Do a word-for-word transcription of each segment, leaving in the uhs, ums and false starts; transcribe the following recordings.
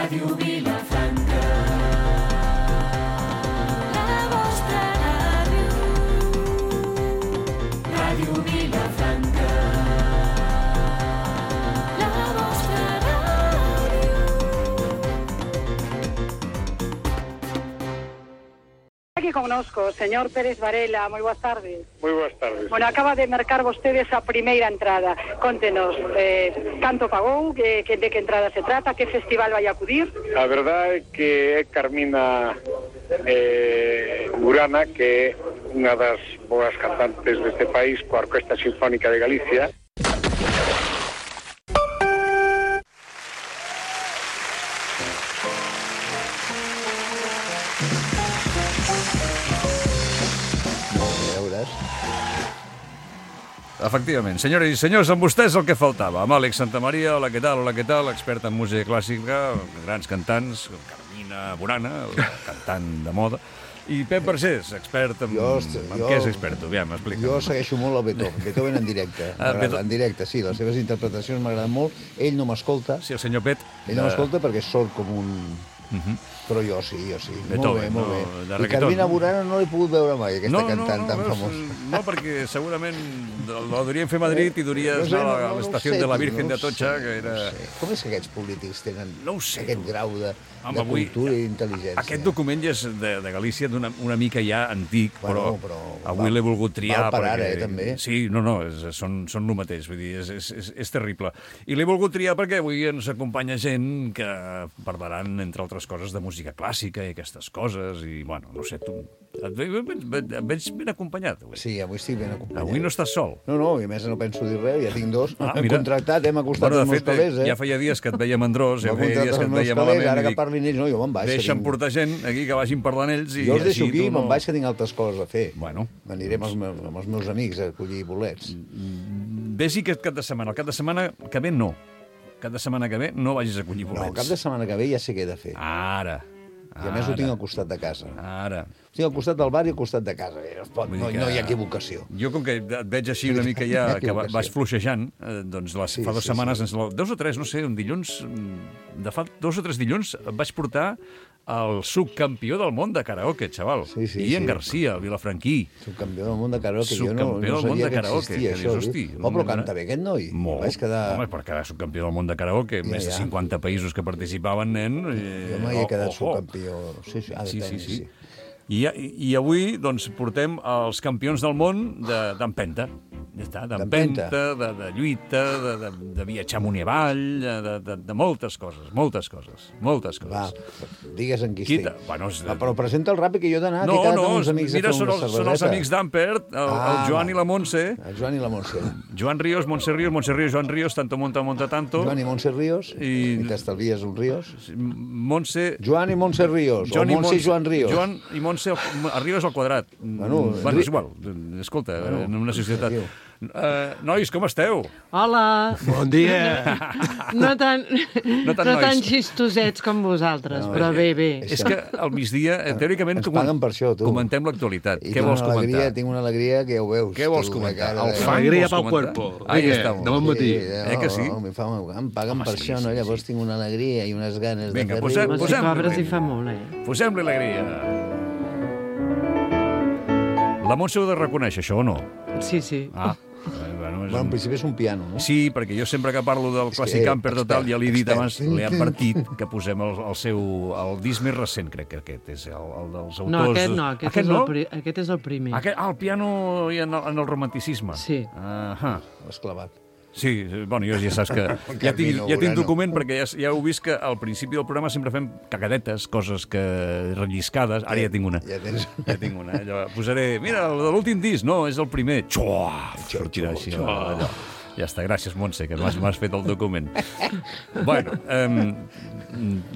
Ràdio Vilafranca. La vostra ràdio. Ràdio Vilafranca. La vostra ràdio. Aquí conozco, señor Pérez Varela, muy buenas tardes. Muy buenas tardes. Bueno, acaba de marcar vostede esa primeira entrada. Contenos, eh, canto pagou, que, que, de que entrada se trata, que festival vai a acudir? A verdade é que é Carmina eh, Burana, que é unha das boas cantantes deste país, coa Orquesta Sinfónica de Galicia. Efectivament. Senyores i senyors, amb vostès el que faltava. Amb Àlex Santamaria, hola, què tal, hola, què tal, expert en música clàssica, grans cantants, Carmina Burana, cantant de moda, i Pep Barcés, expert en... Jo, en jo, què és expert? Aviam, explica'm. Jo segueixo molt el Beethoven, Beethoven en directe. Ah, Beethoven. En directe, sí, les seves interpretacions m'agraden molt. Ell no m'escolta. Sí, el senyor Pet. Ell no m'escolta perquè sort com un... Uh -huh. Però jo sí, jo sí. Beethoven, molt bé, no, molt de bé. I reggaeton. Carmina Burana no l'he pogut veure mai, aquesta no, cantant no, no, tan veus, famosa. No, perquè segurament la duríem fer a Madrid i duries No sé, anar no, a no, no l'estació sé, de la tio, Virgen no de Atocha, sé, que era... No sé. Com és que aquests polítics tenen No ho sé, aquest tu. grau de, Home, de avui, cultura i d'intel·ligència? Aquest document ja és de, de Galícia d'una una mica ja antic, Bueno, però, però avui val- l'he volgut triar. val per ara, perquè... eh, també. Sí, no, no, és, són, són el mateix, vull dir, és, és, és, és terrible. I l'he volgut triar perquè avui ens acompanya gent que parlaran, entre altres coses, de música clàssica i aquestes coses, i, bueno, no sé, tu... Et veig, et veig ben acompanyat, avui. Sí, avui estic ben acompanyat. Avui no estàs sol. No, no, i a més no penso dir res, ja tinc dos. Ah, Hem mira. contractat, hem acostat Bueno, els de meus fet, calés, eh? ja feia dies que et veia mandrós, ja M'ha feia dies contractat que els et meus veia calés, malament. ara i que dic, parlin ells, no, jo me'n vaig. que deixa'm tinc- portar gent aquí que vagin parlant ells i Jo els deixo així aquí, tu me'n no... vaig, que tinc altres coses a fer. Bueno. M'aniré amb, els meus, amb els meus amics a collir bolets. Vés-hi aquest cap de setmana. El cap de setmana que ve no. Cap de setmana que ve no vagis a collir bolets. No, el cap de setmana que ve ja sé què he de fer. Ara. I a més ho tinc al costat de casa. Ara. Ho tinc al costat del bar i al costat de casa. No, es pot, Vull no, dir que- no hi ha equivocació. Jo, com que et veig així una mica ja, que va- vas fluixejant, eh, doncs les, Sí, fa dues sí, setmanes, sí. ens- dos o tres, no sé, un dilluns, mm, de fa dos o tres dilluns, et vaig portar el subcampió del món de karaoke, xaval. Sí, sí, Ian sí. Garcia, el vilafranquí. Subcampió del món de karaoke. Jo no, Subcampió no del món sabia de que karaoke, existia que això. dius, hosti, oh, però no- canta bé aquest noi. Molt. Vaig quedar... Home, per quedar subcampió del món de karaoke, Ja, més de ja. cinquanta països que participaven, nen. Eh, Jo mai he quedat ojo. subcampió. Sí, sí, ha de Sí, sí, tenir, sí. I, I avui, doncs, portem els campions del món de- d'empenta. Ja està, d'empenta, D'empenta. de, de lluita, de, de, de viatjar amunt i avall, de, de, de moltes coses, moltes coses, moltes coses. Va, digues en qui Quita. estic. Bueno, és... Va, però presenta el ràpid que jo he d'anar, que he No, quedat no, amb uns amics mira, a fer són una els, són els cerveseta. amics d'Ampert, el, Ah, el Joan va. i la Montse. El Joan i la Montse. Joan Ríos, Montse Ríos, Montse Ríos, Joan Ríos, tanto monta, monta tanto. Joan i Montse Ríos, I- i, t'estalvies un Ríos. Montse... Joan i Montse Ríos, Joan o Montse i Joan Ríos. Joan i Montse, al- a Ríos al quadrat. Bueno, bueno Ri- és igual. Escolta, Bueno, en una societat... diu. Uh, nois, com esteu? Hola! Bon dia! No tan, No no tan tan, nois. xistosets com vosaltres, No, però bé, bé. És que al migdia, eh, teòricament, Ens paguen per això, tu. comentem l'actualitat. I Què tinc vols una alegria, comentar? tinc una alegria que ja ho veus. Què vols tu, comentar? la cara El de- fang Alegria vols pel comentar? cuerpo. Ahí Vinga, estamos. de bon matí. Eh que sí? No, em, fa, em paguen Home, per sí, això, no? sí, Llavors sí. tinc una alegria i unes ganes Vinga, de fer posem- Home, si posem- cobres hi fa molt, eh? Posem-li alegria. La Montse ho ha de reconèixer, això, o no? Sí, sí. Ah, eh, bueno, és Bueno, en un... principi és un piano, no? Sí, perquè jo sempre que parlo del És que, clàssic camper total, expert, ja l'he dit expert. abans, l'he advertit que posem el, el seu... el disc més recent, crec que aquest és el, el dels autors... No, aquest no, aquest, aquest és, no? El, pri aquest és el primer. Aquest, ah, el piano i en el, en el romanticisme. Sí. Ahà. L'has clavat. Sí, bueno, jo ja saps que ja tinc, Camino, ja tinc Urano. document perquè ja, ja heu vist que al principi del programa sempre fem cagadetes, coses que relliscades. Ara ja tinc una. Ja tens... Ja tinc una. Allò, posaré, mira, el de l'últim disc, no, és el primer. Xua! Sortirà així. Allò. Ja està, gràcies, Montse, que m'has m'has fet el document. Bueno, um,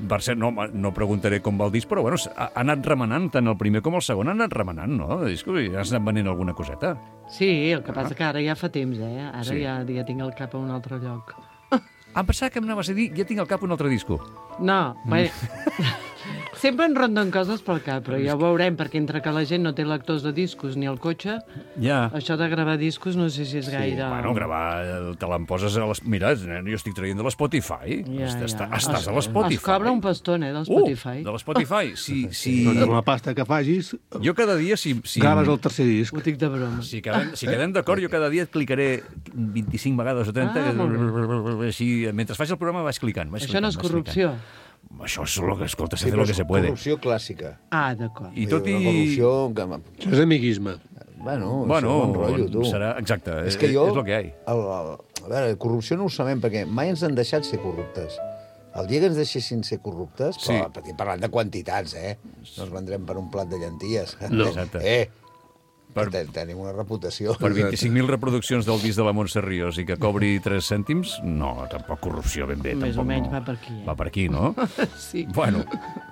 per cert, no, no preguntaré com va el disc, però bueno, ha, ha anat remenant tant el primer com el segon, ha anat remenant, no? El disc, has anat venent alguna coseta. Sí, el que passa que ara ja fa temps, eh? Ara Sí. ja, ja tinc el cap a un altre lloc. Em pensava que em anaves a dir, ja tinc al cap un altre disco. No, bé, Sempre en ronden coses pel cap, però ja ho veurem, perquè entre que la gent no té lectors de discos ni el cotxe, Ja. això de gravar discos no sé si és gaire... Bueno, gravar, eh, te l'emposes a les... Mira, nen, jo estic traient de l'Spotify. Ja, Estàs, ja. estàs a Es- l'Spotify. Es cobra un paston, eh, del Spotify. Uh, de l'Spotify. Sí, sí. Doncs amb la pasta que facis, Jo cada dia, si... si graves el tercer disc. Ho dic de broma. Si quedem, si quedem d'acord, jo cada dia et clicaré vint-i-cinc vegades o trenta, Ah, molt així, mentre faig el programa vaig clicant. Vaig Això clicant, no és vaig corrupció. clicant. Això és lo que, escolta, se Sí, hace però lo que és se puede. corrupció clàssica. Ah, d'acord. I tot i... Una corrupció... Que... Això és amiguisme. Bueno, Bueno, això és un rotllo, tu. serà... Exacte, És que jo... és el que hi ha. El, el, a veure, corrupció no ho sabem, perquè mai ens han deixat ser corruptes. El dia que ens deixessin ser corruptes, Sí. però estic parlant de quantitats, eh? No ens vendrem per un plat de llenties. No. Exacte. Eh, Per- per... tenim una reputació. Per vint-i-cinc mil reproduccions del disc de la Montse Ríos i que cobri tres cèntims, no, tampoc corrupció ben bé. Més o tampoc menys no. va per aquí, eh? Va per aquí, no? Sí. Bueno,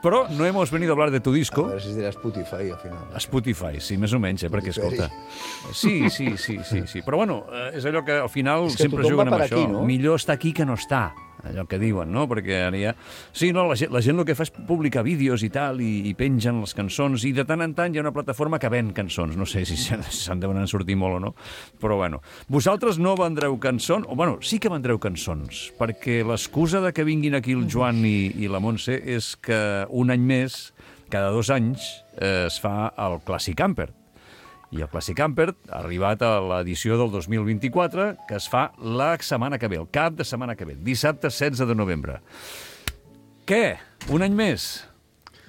però no hemos venido a hablar de tu A disco. veure si es dirà Spotify, al final. Spotify, sí, més o menys, eh, perquè, Spotify. escolta... Sí, sí, sí, sí, sí. Però, bueno, eh, és allò que al final És que sempre tothom juguen va amb per això. aquí, no? Millor estar aquí que no estar, allò que diuen, no? Perquè ara ja... Sí, no, la gent, la gent el que fa és publicar vídeos i tal, i, i pengen les cançons, i de tant en tant hi ha una plataforma que ven cançons. No sé si se'n se deuen sortir molt o no, però, bueno. Vosaltres no vendreu cançons, o, bueno, sí que vendreu cançons, perquè l'excusa de que vinguin aquí el Joan i, i la Montse és que un any més, cada dos anys, eh, es fa el Classic Camper. I el Classic Camper ha arribat a l'edició del dos mil vint-i-quatre, que es fa la setmana que ve, el cap de setmana que ve, dissabte setze de novembre. Què? Un any més?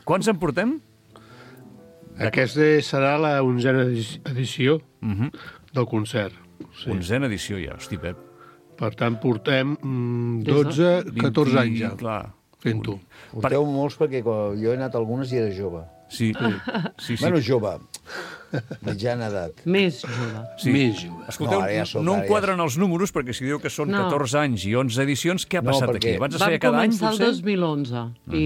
Quants en portem? Aquesta serà la onzena edició del concert. Sí. Onzena edició ja, hosti, Pep. Per tant, portem mm, Des de- dotze, catorze vint, anys ja Clar. fent-ho. Porteu molts perquè quan jo he anat a algunes i era jove. Sí, sí, sí. Bueno, jove. Mitjana edat. Més jove. sí. Més jove. Escolteu, No, no, ara ja soc, no ara em ja quadren els números, perquè si diu que són No. catorze anys i onze edicions, què ha No, passat perquè aquí? Abans es Vam feia cada any, començar el potser? dos mil onze i,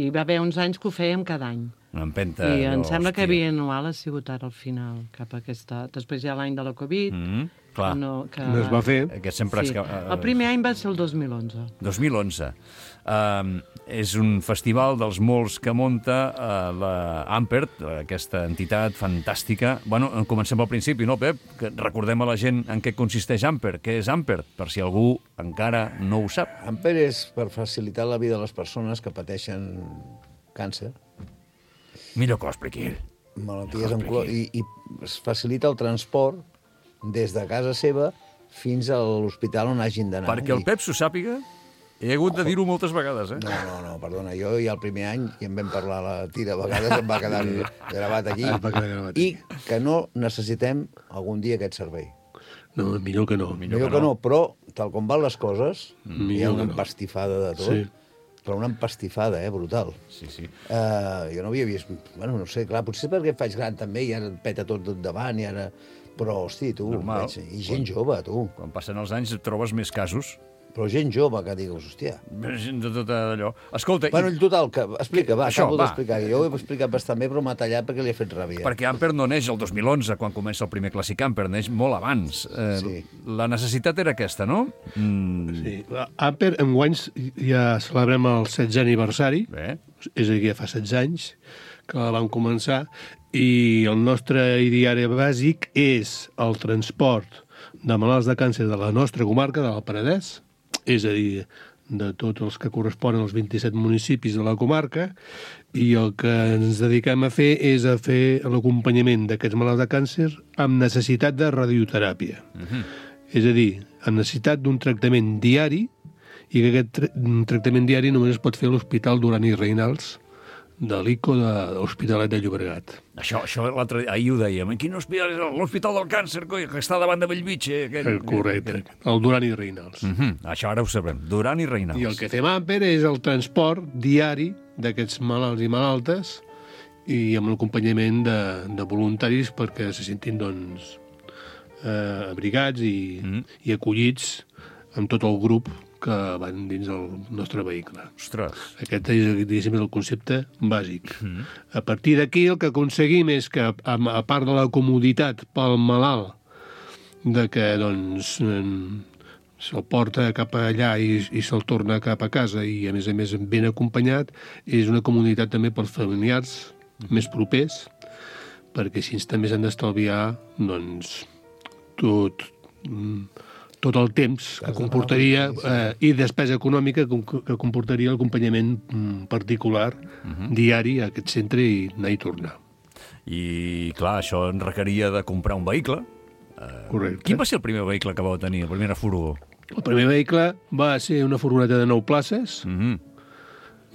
i va haver uns anys que ho fèiem cada any. Una empenta... I em no, sembla que hòstia. bianual ha sigut ara al final, cap a aquesta... Després hi ha l'any de la Covid, Mhm, clar. que no, que... No es va fer. Aquest sempre... Sí. És que, eh, El primer any va ser el dos mil onze. dos mil onze. Um, és un festival dels molts que munta uh, la Ampert, aquesta entitat fantàstica. Bueno, comencem al principi, no, Pep? Que recordem a la gent en què consisteix Ampert. Què és Ampert? Per si algú encara no ho sap. Amper és per facilitar la vida de les persones que pateixen càncer, Millor que ho expliqui ell. malalties amb clor, i, i es facilita el transport des de casa seva fins a l'hospital on hagin d'anar. Perquè el I- Pep s'ho sàpiga, he hagut de dir-ho moltes vegades, eh? No, no, no, perdona, jo ja el primer any, i en vam parlar a la tira, a vegades em va quedar gravat aquí, Em va quedar gravat i que no necessitem algun dia aquest servei. No, millor que no. Millor Millor que que no. no, però, tal com van les coses, hi ha Millor una que no. empastifada de tot, Sí. però una empastifada, eh, brutal. Sí, sí. Uh, jo no havia vist... Bueno, no sé, clar, potser perquè em faig gran també, i ara em peta tot davant, i ara... Però, hosti, tu, Normal. veig, i gent jove, tu. Quan passen els anys et trobes més casos. Però gent jove que digues, hòstia... Gent de tot allò. Escolta, Bueno, i, en total, que, explica, va, Això, acabo va. d'explicar. Jo ho he explicat bastant bé, però m'ha tallat perquè li he fet ràbia. perquè Ampert no neix el dos mil onze, quan comença el primer Classic Camper, neix molt abans. Eh, Sí. La necessitat era aquesta, no? Mm, Sí. Amper, enguany ja celebrem el setzè aniversari, bé. és a dir, ja fa setze anys que la vam començar, i el nostre ideari bàsic és el transport de malalts de càncer de la nostra comarca, de l'Alt Penedès, és a dir, de tots els que corresponen als vint-i-set municipis de la comarca, i el que ens dediquem a fer és a fer l'acompanyament d'aquests malalts de càncer amb necessitat de radioteràpia. Mhm. És a dir, amb necessitat d'un tractament diari, i que aquest tra tractament diari només es pot fer a l'Hospital Duran i Reynals de l'ICO de l'Hospitalet de Llobregat. Això, això l'altre ahir ho dèiem. En quin hospital és l'Hospital del Càncer, coi, que està davant de Bellvitge? Aquell... Eh, Correcte, el Duran i Reynals. Mhm, això ara ho sabrem. Duran i Reynals. I el que fem a Amper és el transport diari d'aquests malalts i malaltes i amb l'acompanyament de, de voluntaris perquè se sentin, doncs, eh, abrigats i, Mhm. i acollits amb tot el grup que van dins del nostre vehicle. Ostres. Aquest és, diguéssim, el concepte bàsic. Mm. A partir d'aquí el que aconseguim és que, a, a part de la comoditat pel malalt, de que doncs, en, se'l porta cap allà i, i se'l torna cap a casa i, a més a més, ben acompanyat, és una comunitat també pels familiars més propers, perquè així també s'han d'estalviar, doncs, tot, tot el temps que comportaria eh, i despesa econòmica que comportaria l'acompanyament particular uh-huh. diari a aquest centre i anar i tornar. I, clar, això en requeria de comprar un vehicle. Correcte. Quin va ser el primer vehicle que vau tenir, la primera furgó? El primer vehicle va ser una furgoneta de nou places, Mm-hmm.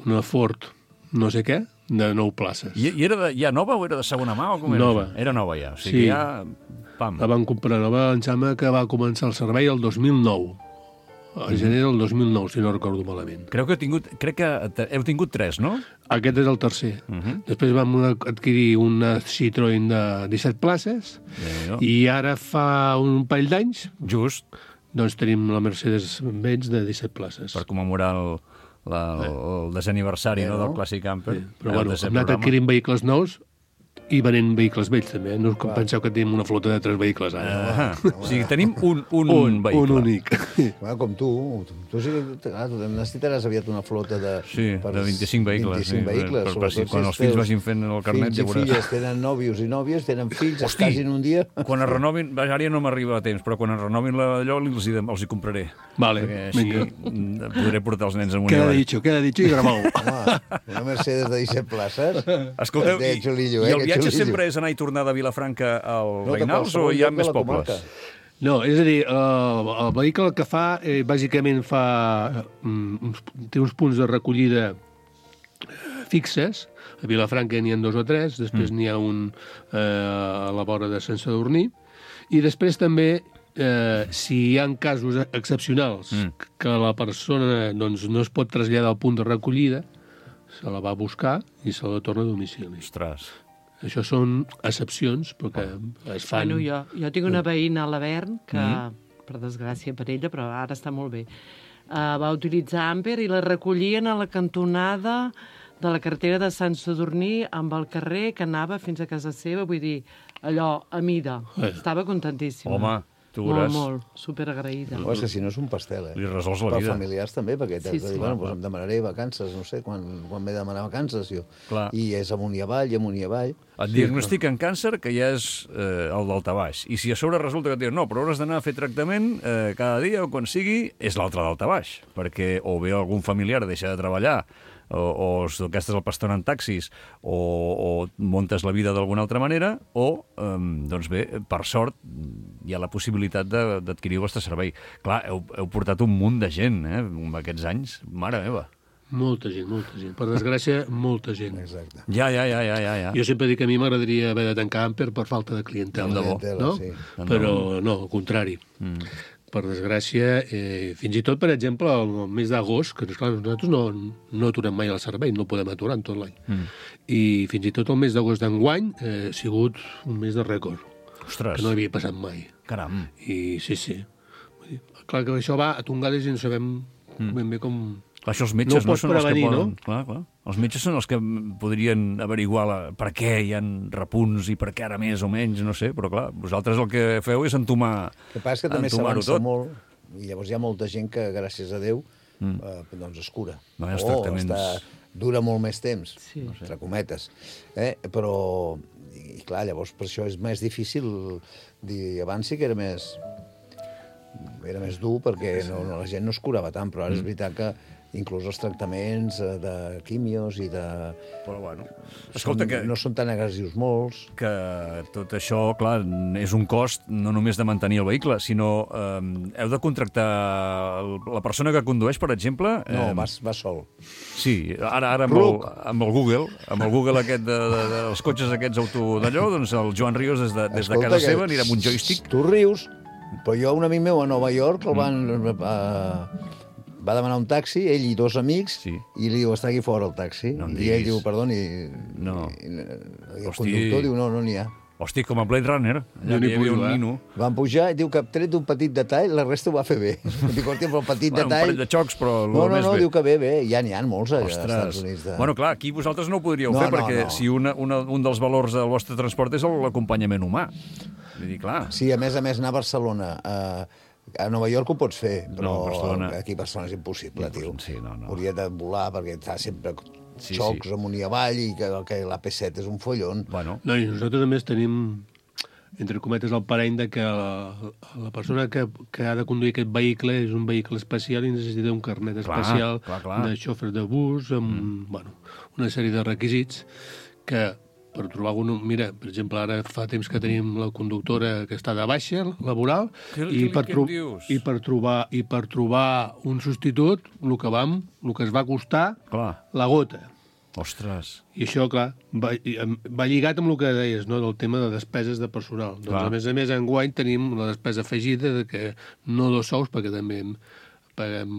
una Ford no sé què, de nou places. I, i era de, ja nova o era de segona mà? O com era? Nova. Era nova ja, o sigui Sí. que ja... Pam. La van comprar nova, em sembla que va començar el servei el dos mil nou. Al gener del dos mil nou, si no recordo malament. Creu que heu tingut, crec que te- heu tingut tres, no? Aquest és el tercer. Mhm. Després vam adquirir una Citroën de disset places Déu-n'hi-do. i ara fa un parell d'anys Just doncs tenim la Mercedes-Benz de disset places. per commemorar el, la, el, el desaniversari Bé, no? no? del Classic Camper. Però Heu bueno, de ser hem anat programa. adquirint vehicles nous i venent vehicles vells, també. No us penseu que tenim una flota de tres vehicles ara. Ah, o sigui, tenim un, un, un, vehicle. un únic. Bueno, com tu, tu sí que clar, tu necessitaràs aviat una flota de... Sí, de vint-i-cinc vehicles, vint-i-cinc sí, vehicles, per- per- sobretot si- quan si els fills teus vagin fent el carnet, fills ja i veuràs. filles tenen nòvios i nòvies, tenen fills, es Hosti! casin un dia... Quan es renovin, vaja, ara ja no m'arriba a temps, però quan es renovin la- allò els hi, els hi compraré. Vale, Perquè així vinga. mm, podré portar els nens amunt i Queda avall. dicho, queda dicho i gravau. Home, una Mercedes de disset places... Escolteu, de i, xulillo, i eh, el que viatge xulillo. sempre és anar i tornar de Vilafranca al No, de Reynals o qualsevol hi ha lloc de més la pobles? comarca. No, és a dir, el, el vehicle que fa, eh, bàsicament fa... Mm, uns, té uns punts de recollida eh, fixes. A Vilafranca n'hi ha dos o tres, després mm. n'hi ha un eh, a la vora de Sant Sadurní. I després també, eh, si hi ha casos excepcionals Mm. que la persona doncs, no es pot traslladar al punt de recollida, se la va a buscar i se la torna a domicili. Ostres. Això són excepcions, perquè es fan... Bueno, jo, jo tinc una veïna a l'Avern que, mm. per desgràcia per ella, però ara està molt bé, uh, va utilitzar Amper i la recollien a la cantonada de la carretera de Sant Sadurní amb el carrer que anava fins a casa seva, vull dir, allò, a mida. Eh. Estava contentíssima. Home, tu Molt, veuràs. molt, superagraïda. Oh, és que si no és un pastel, eh? Li resols la Per vida. familiars també, perquè t'has Sí, de sí. dir, bueno, doncs em demanaré vacances, no sé, quan, quan m'he de demanar vacances, jo. Clar. I és amunt i avall, i amunt i avall. Et diagnostiquen càncer, que ja és eh, el daltabaix. I si a sobre resulta que et diuen no, però hauràs d'anar a fer tractament eh, cada dia o quan sigui, és l'altre daltabaix. Perquè o bé algun familiar deixa de treballar, o, o gastes el pastor en taxis, o, o montes la vida d'alguna altra manera, o, eh, doncs bé, per sort, hi ha la possibilitat de- d'adquirir el vostre servei. Clar, heu, heu portat un munt de gent, eh, amb aquests anys. Mare meva. Molta gent, molta gent. Per desgràcia, molta gent. Exacte. Ja, ja, ja, ja, ja. ja. Jo sempre dic que a mi m'agradaria haver de tancar Amper per falta de clientela. Tant de bo. Clientela, No? sí. Tant de Però no, al contrari. Mm. Per desgràcia, eh, fins i tot, per exemple, el mes d'agost, que clar, nosaltres no, no aturem mai el servei, no podem aturar en tot l'any. Mm. I fins i tot el mes d'agost d'enguany eh, ha sigut un mes de rècord, Ostres, que no havia passat mai. caram. I sí, sí. Vull dir, clar que això va a tongades i no sabem ben bé com... Clar, això els metges No no, pots són els que prevenir, poden... no? Clar, clar. Els metges són els que podrien averiguar la... per què hi ha repunts i per què ara més o menys, no sé, però clar, vosaltres el que feu és entomar, El que passa és que també entomar-ho s'avança tot. molt, i llavors hi ha molta gent que, gràcies a Déu, mm. eh, doncs es cura. No hi ha els o tractaments. està, dura molt més temps, Sí. entre cometes. Eh? Però, i, i clar, llavors per això és més difícil dir, abans sí que era més era més dur perquè no, no, la gent no es curava tant, però ara Mm. és veritat que inclús els tractaments eh, de quimios i de... Però bueno, escolta, són, que, no són tan agressius molts. que tot això, clar, és un cost no només de mantenir el vehicle, sinó eh, heu de contractar el, la persona que condueix, per exemple... No, eh, vas, vas sol. Sí, ara, ara amb, el, Ruc. amb el Google, amb el Google aquest de, de, de, dels cotxes aquests auto d'allò, doncs el Joan Ríos des de, des de Escolta, casa que seva anirà amb un joystick. Tu rius, però jo, un amic meu a Nova York, el van... Uh, va demanar un taxi, ell i dos amics, Sí. i li diu, està aquí fora el taxi. No em I ell diguis. diu, perdoni, No. i, i, el Hosti. conductor diu, no, no n'hi ha. Hosti, com a Blade Runner, allà No que n'hi hi havia pujo, un eh? nino. Van pujar i diu que tret d'un petit detall, la resta ho va fer bé. Dic, hòstia, però el petit Bueno, un detall... parell de xocs, però el No, no, més no, bé. diu que bé, bé, ja n'hi ha molts als Ostres. Estats Units. De... Bueno, clar, aquí vosaltres no ho podríeu No, fer, no, perquè no. si una, una, un dels valors del vostre transport és l'acompanyament humà. Vull dir, clar, Sí, a més a més, anar a Barcelona, eh, A Nova York ho pots fer, però No, a Barcelona- aquí a Barcelona és impossible, tio. Sí, no, no. Hauria de volar perquè està sempre Sí, xocs sí. amunt i avall i que, que l'A P set és un follon. Bueno, No, i nosaltres a més tenim, entre cometes, el parany de que la, la persona que, que ha de conduir aquest vehicle és un vehicle especial i necessita un carnet Clar, especial clar, clar. de xofer de bus, amb mm. bueno, una sèrie de requisits que per trobar un... Mira, per exemple, ara fa temps que tenim la conductora que està de baixa, laboral, Què- i, què- per què tro- em dius? i, per trobar, i per trobar un substitut, el que vam, el que es va costar, clar. la gota. Ostres. I això, clar, va, i, em- va lligat amb el que deies, no?, del tema de despeses de personal. Doncs, Clar. a més a més, enguany tenim la despesa afegida de que no dos sous, perquè també em paguem,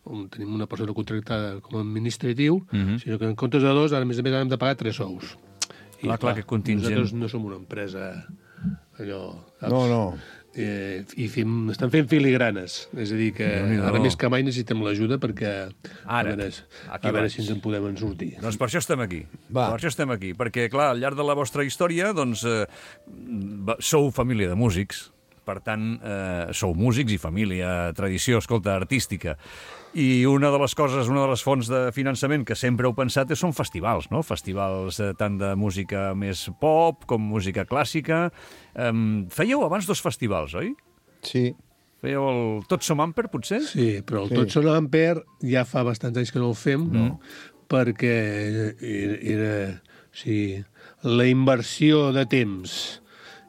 un, tenim una persona contractada com a administratiu, Mhm. sinó que en comptes de dos, ara, a més a més, hem de pagar tres sous. I, Clar, clar, aquest contingent. Nosaltres no som una empresa allò... saps? No, no. Eh, i fem, estan fent filigranes. És a dir, que Déu-n'hi-do. ara més que mai necessitem l'ajuda perquè Ara, a veure, aquí a veure vaig. si ens en podem en sortir. Doncs per això estem aquí. Va. Per això estem aquí, perquè, clar, al llarg de la vostra història, doncs, eh, va- sou família de músics, per tant, eh, sou músics i família, tradició, escolta, artística. I una de les coses, una de les fonts de finançament que sempre heu pensat són festivals, no? Festivals eh, tant de música més pop com música clàssica. Um, fèieu abans dos festivals, oi? Sí. Fèieu el Tots som Amper, potser? Sí, però el Sí. Tots són Ampere ja fa bastants anys que no el fem, no. perquè era, era o sigui, la inversió de temps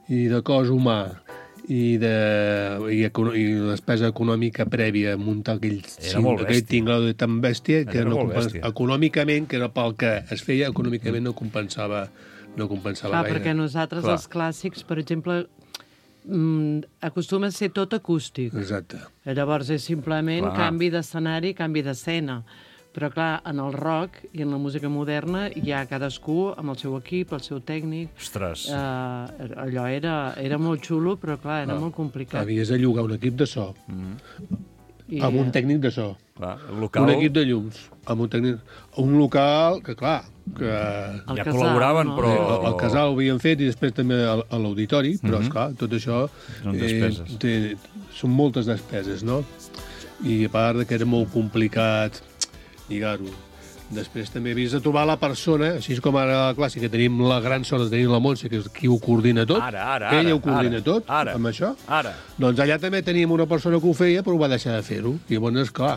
i de cos humà i, de, i, econo, i la despesa econòmica prèvia a muntar aquell, Era molt aquell bèstia. tinglado de tan bèstia que Era no molt compens, bèstia. econòmicament, que era pel que es feia, econòmicament no compensava, no compensava Clar, gaire. perquè nosaltres, Clar. els clàssics, per exemple, mm, acostuma a ser tot acústic. Exacte. Llavors és simplement Clar. canvi d'escenari, canvi d'escena. Però, clar, en el rock i en la música moderna hi ha cadascú amb el seu equip, el seu tècnic. Ostres. Uh, allò era, era molt xulo, però, clar, era molt complicat. Havies de llogar un equip de so, I, amb un tècnic de so. Clar, el local... Un equip de llums, amb un tècnic... Un local que, clar, que... El ja casal, col·laboraven, no? però... El, el casal ho havien fet i després també a, a l'auditori, però, esclar, tot això... Són despeses. té, són moltes despeses, no? I a part de que era molt complicat lligar-ho. Després també havies de trobar la persona, així com ara a la clàssica tenim la gran sort de tenir la Montse, que és qui ho coordina tot. Ara, ara, que ella ara, ho coordina ara, tot, ara, amb això. ara. Doncs allà també teníem una persona que ho feia, però ho va deixar de fer-ho. I llavors, clar,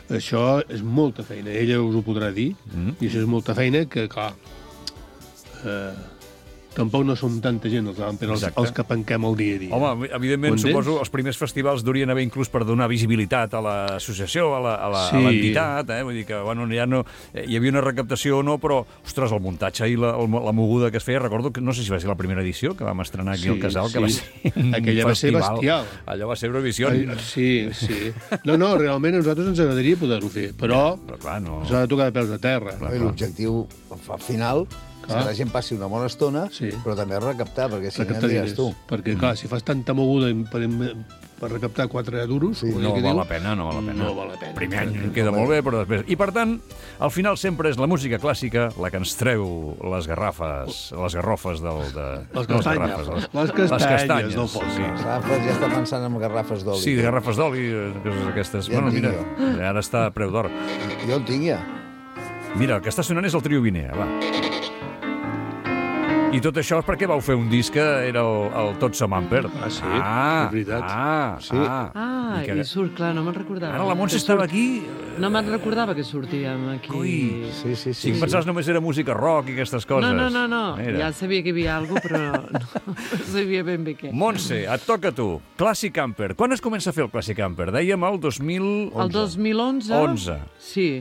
això és molta feina. Ella us ho podrà dir. Mm. I això és molta feina que, clar, eh, tampoc no som tanta gent els, els, Exacte. els que penquem el dia a dia. Home, evidentment, Entens? suposo els primers festivals durien haver inclús per donar visibilitat a l'associació, a la- a la- a Sí. l'entitat, eh? Vull dir que, bueno, ja no... eh, Hi havia una recaptació o no, però, ostres, el muntatge i la, el, la moguda que es feia, recordo que, no sé si va ser la primera edició que vam estrenar aquí Sí, al Casal, que sí. va ser un Aquella va ser festival. bestial. Allò va ser Eurovisió. Ai, sí, sí. No, no, realment a nosaltres ens agradaria poder-ho fer, però Però, clar, no... s'ha de tocar de peus a terra. I l'objectiu al final és que la gent passi una bona estona, Sí. però també recaptar, perquè si no Recaptar em diners. digues tu. Perquè, clar, si fas tanta moguda per, per recaptar quatre duros... Sí. com No que val diu, la pena, no val la pena. No val la pena. Primer any queda molt bé, però després... I, per tant, al final sempre és la música clàssica la que ens treu les garrafes, les garrofes del... De... Les no, castanyes. garrafes, Les castanyes del poble. Sí. Garrafes, ja està pensant en garrafes d'oli. Sí, de garrafes d'oli, eh, coses aquestes. Ja en bueno, tinc mira, ara està a preu d'or. Jo el tinc ja. Mira, el que està sonant és el trio Vinea, va. I tot això és perquè vau fer un disc que era el, el Tot som Amper. Ah, sí? Ah, És veritat. Ah, Sí. ah. Ah, que- i surt, clar, no me'n recordava. Ara la Montse Que estava surt- aquí... No me'n recordava que sortíem aquí. Ui. Sí, sí, Si sí. em pensaves només era música rock i aquestes coses. No, no, no, no. Mira. Ja sabia que hi havia alguna cosa, però no, no sabia ben bé què. Montse, et toca a tu. Classic Camper. Quan es comença a fer el Classic Camper? Dèiem el dos mil... El dos mil onze... onze. Sí.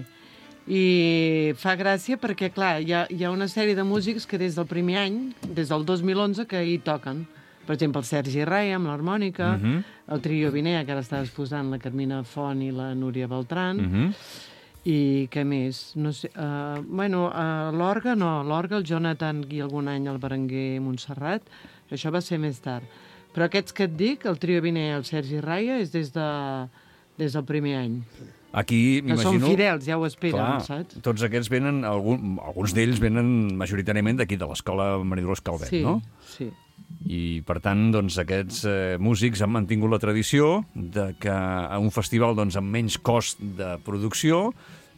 I fa gràcia perquè, clar, hi ha, hi ha una sèrie de músics que des del primer any, des del dos mil onze, que hi toquen. Per exemple, el Sergi Rai amb l'harmònica, uh -huh. el trio Vinea, que ara està exposant la Carmina Font i la Núria Beltran, Uh -huh. i què més? No sé, uh, bueno, uh, l'orga no, l'orga el Jonathan i algun any el Berenguer Montserrat, això va ser més tard. Però aquests que et dic, el trio Vinea i el Sergi Raia, és des, de, des del primer any. Aquí, Que són m'imagino... fidels, ja ho esperen, Clar, saps? tots aquests venen, algun, alguns d'ells venen majoritàriament d'aquí, de l'escola Maria Dolors Calvet, Sí, no? sí. I, per tant, doncs, aquests eh, músics han mantingut la tradició de que a un festival doncs, amb menys cost de producció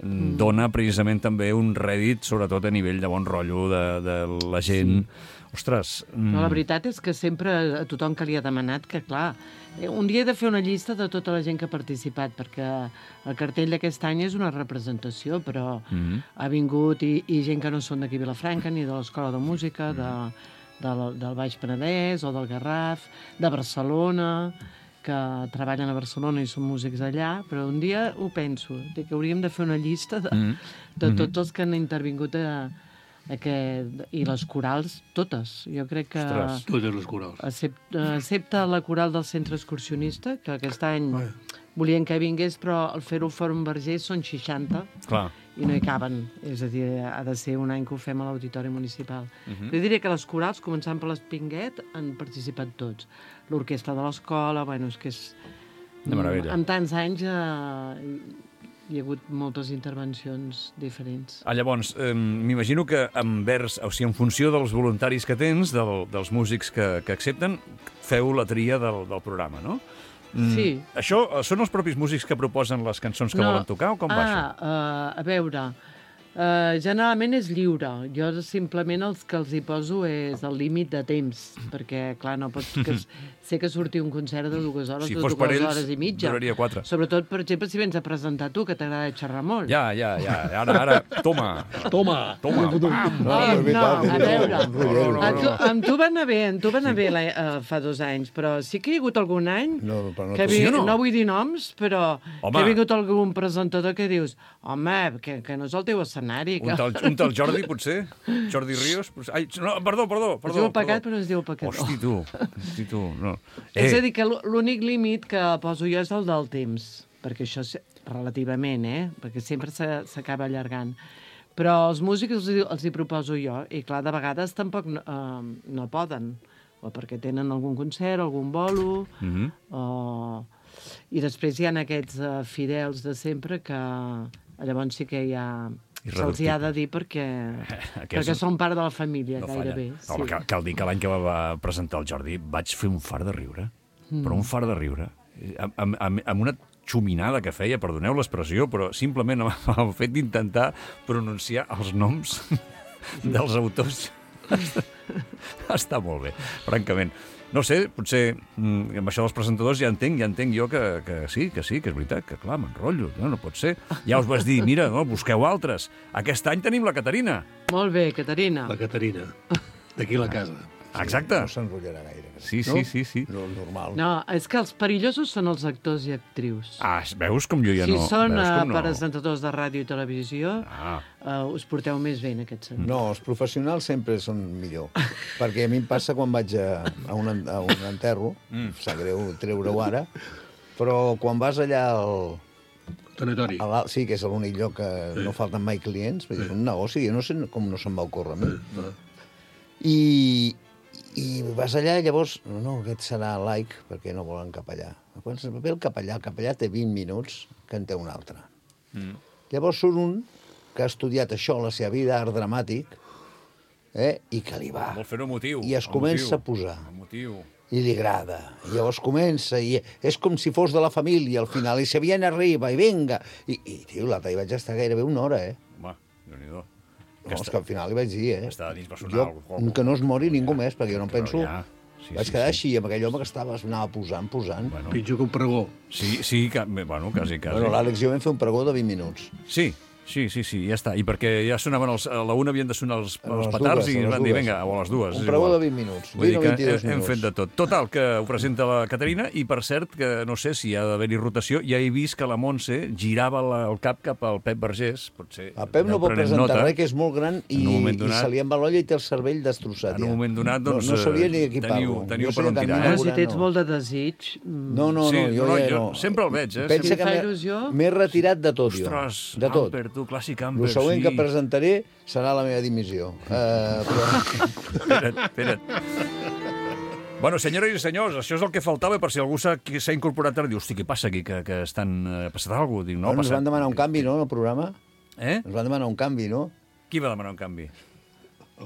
mm. dona precisament també un rèdit, sobretot a nivell de bon rotllo de, de la gent. Sí. Ostres... Mm. No, la veritat és que sempre a tothom que li ha demanat que, clar, un dia he de fer una llista de tota la gent que ha participat, perquè el cartell d'aquest any és una representació, però mm. ha vingut i, i gent que no són d'aquí a Vilafranca, ni de l'Escola de Música, de, del, del Baix Penedès o del Garraf, de Barcelona, que treballen a Barcelona i són músics allà, però un dia ho penso, que hauríem de fer una llista de, mm. de tots els que han intervingut a, aquest, i les corals, totes. Jo crec que... Ostres, totes les corals. Excepte, excepte la coral del centre excursionista, que aquest any Ai. volien que vingués, però al fer-ho al Fòrum Vergés són seixanta. Clar. I no hi caben. És a dir, ha de ser un any que ho fem a l'Auditori Municipal. Uh -huh. Jo diria que les corals, començant per l'Espinguet, han participat tots. L'orquestra de l'escola, bueno, és que és... De meravella. En tants anys eh, hi ha hagut moltes intervencions diferents. Ah, llavors, eh, m'imagino que envers, o sigui, en funció dels voluntaris que tens, del, dels músics que, que accepten, feu la tria del, del programa, no? Mm, sí. Això són els propis músics que proposen les cançons que no. volen tocar o com ah, va això? Ah, uh, a veure... Uh, generalment és lliure. Jo simplement els que els hi poso és el límit de temps, perquè, clar, no pots... Que sé que surti un concert de dues hores, si de fos dues per ells, hores i mitja. duraria quatre. Sobretot, per exemple, si vens a presentar tu, que t'agrada xerrar molt. Ja, ja, ja. Ara, ara, toma. Toma. Toma. No, Eh, és no, veritat, a veure, no, no, no, a tu, amb tu va anar bé, amb tu va anar bé la, uh, fa dos anys, però sí que hi ha hagut algun any No, però no que tu. vi, Sí o no? no vull dir noms, però Home. que ha vingut algun presentador que dius home, que, que no és el teu escenari. Que... Un tal, un tal Jordi, potser? Jordi Ríos? Potser? Ai, no, perdó, perdó. Es perdó diu pecat, perdó. però no es diu pecador. Hosti, tu. Hosti, tu. No. Eh. És a dir, que l'únic límit que poso jo és el del temps, perquè això és relativament, eh? Perquè sempre s'acaba allargant. Però els músics els, els hi proposo jo, i clar, de vegades tampoc no, eh, no poden, o perquè tenen algun concert, algun bolo, Mm -hmm. o... i després hi ha aquests uh, fidels de sempre que llavors sí que hi ha... Se'ls hi ha de dir perquè, perquè són part de la família, No gairebé. falla. Home, cal, cal dir que l'any que va presentar el Jordi vaig fer un fart de riure. Mm. Però un fart de riure. Amb, amb, amb, amb una xuminada que feia, perdoneu l'expressió, però simplement amb el fet d'intentar pronunciar els noms dels autors. Està molt bé, francament. No sé, potser mm, amb això dels presentadors ja entenc, ja entenc jo que, que sí, que sí, que és veritat, que clar, m'enrotllo, no, no pot ser. Ja us vas dir, mira, no, busqueu altres. Aquest any tenim la Caterina. Molt bé, Caterina. La Caterina, d'aquí la casa. Exacte. No s'enrotllarà gaire. Sí, no? sí, sí, sí. No, normal. No, és que els perillosos són els actors i actrius. Ah, veus com jo ja si no... són veus uh, com no? presentadors de ràdio i televisió, Ah. uh, us porteu més bé en aquest sentit. No, els professionals sempre són millor. Perquè a mi em passa quan vaig a, a, un, en- a un enterro, mm. sap greu treure-ho ara, però quan vas allà al, Tanatori. a l'alt, sí, que és l'únic lloc que no falten mai clients, vull dir, és un negoci, jo no sé com no se'm va ocórrer a mi. I, i vas allà i llavors, no, no, aquest serà laic, perquè no volen capellà. Quan ve el capellà, el capellà té vint minuts, que en té un altre. Mm. Llavors surt un que ha estudiat això, la seva vida, art dramàtic, eh, i que li va. Vol fer-ho emotiu. I es comença a posar. Emotiu. I li agrada. I llavors comença, i és com si fos de la família, al final, i se viene arriba, i vinga. I, i tio, l'altre hi vaig estar gairebé una hora, eh? Home, Déu-n'hi-do. No, és que al final li vaig dir, eh? Està dins Jo, personal. que no es mori ningú més, perquè jo no em Però penso... ja, sí, vaig sí, quedar sí. així, amb aquell home que estava, anava posant, posant. Bueno, Pitjor que un pregó. sí, sí, que, bé, bueno, quasi, quasi. Bueno, l'Àlex i jo vam fer un pregó de vint minuts. Sí, sí, sí, sí, ja està. I perquè ja sonaven els, a la una havien de sonar els, A els les petards dues, i a les van dir, dues. vinga, o a les dues. Un és pregó igual. de vint minuts, Vull dir vint o que vint-i-dos hem, hem fet minuts. de tot. Total, que ho presenta la Caterina i, per cert, que no sé si ha d'haver-hi rotació, ja he vist que la Montse girava la, el cap cap al Pep Vergés. Potser El Pep no aneu pot prenent presentar nota. res, que és molt gran i, En un moment i donat- se li embalolla i té el cervell destrossat. En un ja. moment donat, doncs, No, no sabria ni eh, aquí teniu- parlo. teniu Jo per sé on que tirar, teniu eh? Però si una, tens no. molt de desig... mm, No, no, Sí, no, jo no, ja jo no. sempre el veig, eh? Pensa Si que fa m'he- il·lusió. m'he retirat de tot, jo. Ostres, de tot. Amper, tu, clàssic Amper, El següent sí. que presentaré serà la meva dimissió. Uh, però... Espera't, espera't. Bueno, senyores i senyors, això és el que faltava per si algú s'ha qui s'ha incorporat ara. Diu, hosti, què passa aquí? Que, que estan... eh, Ha passat alguna cosa? Dic, no, No, ha ens passat... van demanar un canvi, no, en el programa? Eh? Ens van demanar un canvi, no? Qui va demanar un canvi?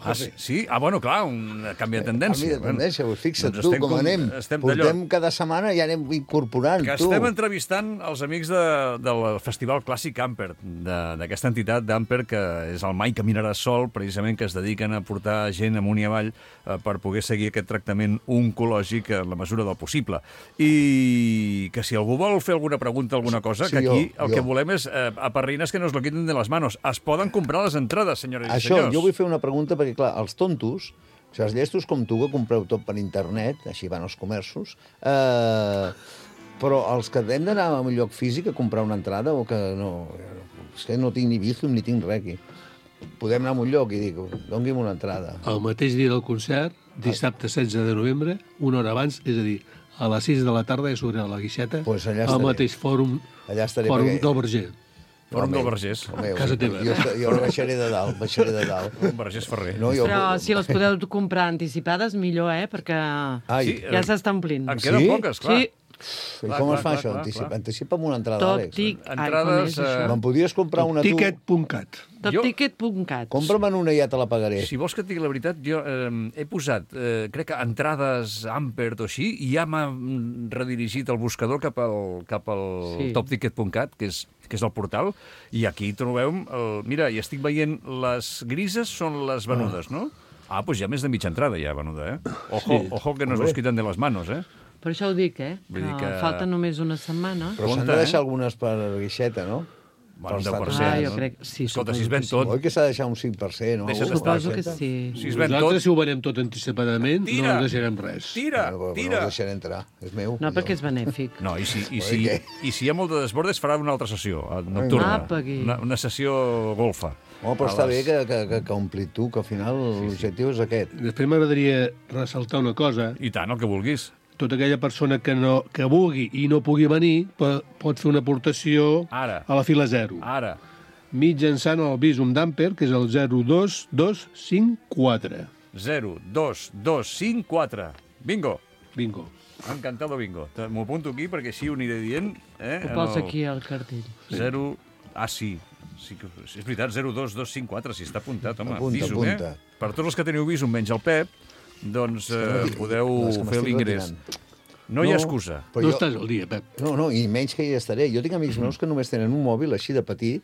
Ah, sí? sí? Ah, bueno, clar, un canvi de tendència. Canvi de tendència, bueno, fixa't doncs tu estem com, com- anem. estem Portem d'allò. cada setmana i anem incorporant, Que tu. estem entrevistant els amics de, del Festival Clàssic Amper, de- d'aquesta entitat d'Amper, que és el Mai Caminaràs Sol, precisament, que es dediquen a portar gent amunt i avall eh, per poder seguir aquest tractament oncològic en la mesura del possible. I que si algú vol fer alguna pregunta, alguna cosa, Sí, que aquí jo, el jo. que volem és eh, aperrines que nos lo quiten de les manos. Es poden comprar les entrades, senyores i Això, senyors. jo vull fer una pregunta perquè, clar, els tontos, o sigui, els llestos com tu, que compreu tot per internet, així van els comerços, eh, però els que hem d'anar a un lloc físic a comprar una entrada o que no... És que no tinc ni Bizum ni tinc res aquí. Podem anar a un lloc i dic, doni'm una entrada. El mateix dia del concert, dissabte setze de novembre, una hora abans, és a dir, a les sis de la tarda ja s'obre la guixeta, Pues allà al estaré. mateix fòrum, Allà estaré, fòrum perquè- del Verger. Fòrum Home, del Vergés. home, Casa teva. Jo, jo baixaré de dalt, baixaré de dalt. Un Vergés Ferrer. No, jo... Però si les podeu comprar anticipades, millor, eh? Perquè Ai, Sí, ja s'està omplint. En queden Sí? poques, clar. Sí, i clar, com clar, es fa clar, això? clar, Anticipa, clar. Anticipa'm una entrada, Top Àlex. tic... Ai, com Entrades, és això? eh, Me'n podries comprar una tu? Ticket punt cat. Jo- Topticket.cat. Compra'm una i ja te la pagaré. Si vols que et digui la veritat, jo eh, he posat, eh, crec que entrades Ampert o així, i ja m'ha mm, redirigit el buscador cap al, cap al Sí. topticket punt cat, que és, que és el portal, i aquí trobem... El, mira, i estic veient les grises són les venudes, no? Ah, doncs hi ha més de mitja entrada ja venuda, eh? Ojo, Sí. ojo que nos los quitan de les manos, eh? Per això ho dic, eh? Vull dir Que que- falta només una setmana. Però s'han Compte, de eh? deixar algunes per guixeta, no? Bueno, un Pels deu per tants. cent. Ah, jo no? crec- sí, Escolta, suposo si es ven que sí. tot... Oi que s'ha de deixar un cinc per cent, no? Deixa't Algú estar, Suposo que guixeta? sí. Si es ven Nosaltres, tot... si ho venem tot anticipadament, Tira! no deixarem res. Tira, Bueno, però no tira! el deixaré entrar, és meu. No, perquè és benèfic. No, i si, i, Oi, si, què? i si hi ha molt de desbordes, farà una altra sessió, eh, nocturna. Apa, aquí. Una, una sessió golfa. Home, però A està les- bé que, que, que, que ompli tu, que al final l'objectiu és aquest. Després m'agradaria ressaltar una cosa. I tant, el que vulguis. Tota aquella persona que, no, que vulgui i no pugui venir po- pot fer una aportació Ara. a la fila zero. Ara. Mitjançant el Bizum d'Amper, que és el zero dos dos cinc quatre. zero, dos, dos, cinc, quatre. Bingo. Bingo. Encantado bingo. Te- M'ho apunto aquí perquè així ho aniré dient. Eh? Ho en posa el aquí al cartell. zero... Ah, sí. sí que, és veritat, zero, dos, dos, cinc, quatre. Si està apuntat, home. Apunta, Visum, apunta. eh? Per tots els que teniu Visum, menys el Pep, doncs eh, podeu No, és que fer m'estic l'ingrés. retirant. No hi ha No. excusa. Però no jo- estàs al dia, Pep. No, no, i menys que hi estaré. Jo tinc amics meus que només tenen un mòbil així de petit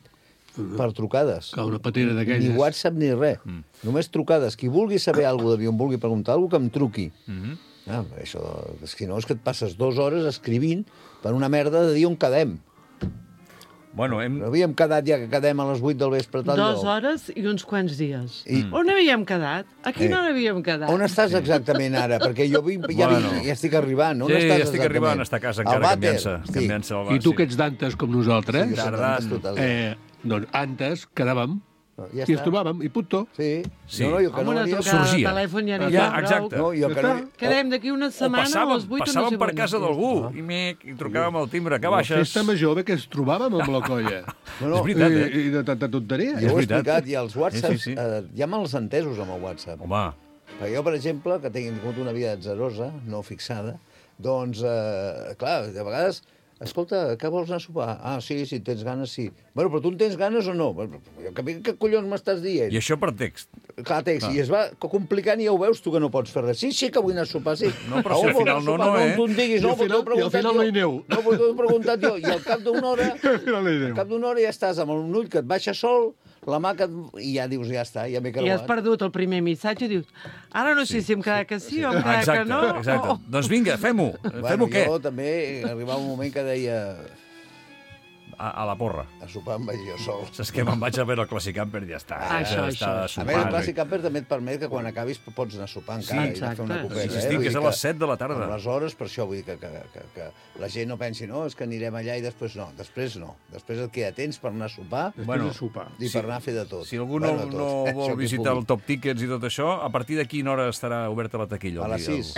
per trucades. Que una patera Ni d'aquelles. WhatsApp ni res. Mm. Només trucades. Qui vulgui saber alguna cosa d'avió, em vulgui preguntar alguna cosa, que em truqui. Mhm. Ah, això, és que no, és que et passes dues hores escrivint per una merda de dir on quedem. Bueno, hem... Havíem quedat ja que quedem a les vuit del vespre a tal Dues lloc. hores i uns quants dies. I- On havíem quedat? Aquí Eh. no havíem quedat. On estàs exactament ara? Perquè jo vinc, ja, Bueno. vinc, ja estic arribant. On Sí, estàs ja estic exactament? arribant, està a casa Al encara vàter? canviant-se. Sí. Canviant-se el I tu sí. que ets d'antes com nosaltres, Sí, jo soc Tardant. d'antes total. eh, doncs antes quedàvem Ja i ens està. trobàvem, i punto. Sí. Sí. No, no, jo que Amb no una havia... trucada sorgia. de telèfon ja n'hi Ja, ha prou. exacte. No, jo que no... Quedem d'aquí una O setmana a passàvem, les vuit o no passàvem sé per quan casa és. d'algú i, m'he- i trucàvem al timbre. Que La baixes? festa major bé que ens trobàvem amb la colla. No, no, És veritat, eh? I, i de tanta tonteria. Jo És ho he veritat. explicat, i els whatsapps, Sí, sí, sí. Eh, hi ha mals entesos amb el WhatsApp. Home, Perquè jo, per exemple, que tinc tingut una vida atzerosa, no fixada, doncs, eh, clar, de vegades, escolta, què vols anar a sopar? Ah, sí, si tens ganes, sí. Bueno, però tu en tens ganes o no? Jo, que, què collons m'estàs dient? i això per text. Clar, text, i es va complicant i ja ho veus tu que no pots fer res. Sí, sí que vull anar a sopar, sí. No, però A si on al vols final anar a no, sopar? no, eh? Tu em diguis, I no, al però t'ho he final- i al preguntat final jo. no hi aneu. No, però t'ho he preguntat jo. I al cap d'una hora, No li al diu. cap d'una hora ja estàs amb un ull que et baixa sol, la mà que et... i ja dius, ja està, ja m'he I has creuat. perdut el primer missatge i dius, ara no sé si em queda que sí o em queda que Exacte, no. exacte. Oh, Doncs vinga, fem-ho. Bueno, Fem-ho què? jo també arribava un moment que deia A, a la porra. a sopar em vaig jo sol. Saps què? Me'n vaig a veure el Clàssic Camper i ja està. Això, ja això, està això. A més, el sopant. Clàssic Camper també et permet que quan acabis pots anar a sopar encara Sí, i anar a fer una exacte. copeta. Sí, sí, eh? estic, Vull que és dir a les set de la tarda. Amb les hores, per això vull dir que, que, que, que la gent no pensi, no, és que anirem allà i després no. Després no. Després et queda temps per anar a sopar Després Bueno, de sopar. i sí. per anar a fer de tot. Si algú no, Bueno, de tot. no Eh, vol això que visitar el pugui. Top Tickets i tot això, a partir de quina hora estarà oberta la taquilla? A les El- sis.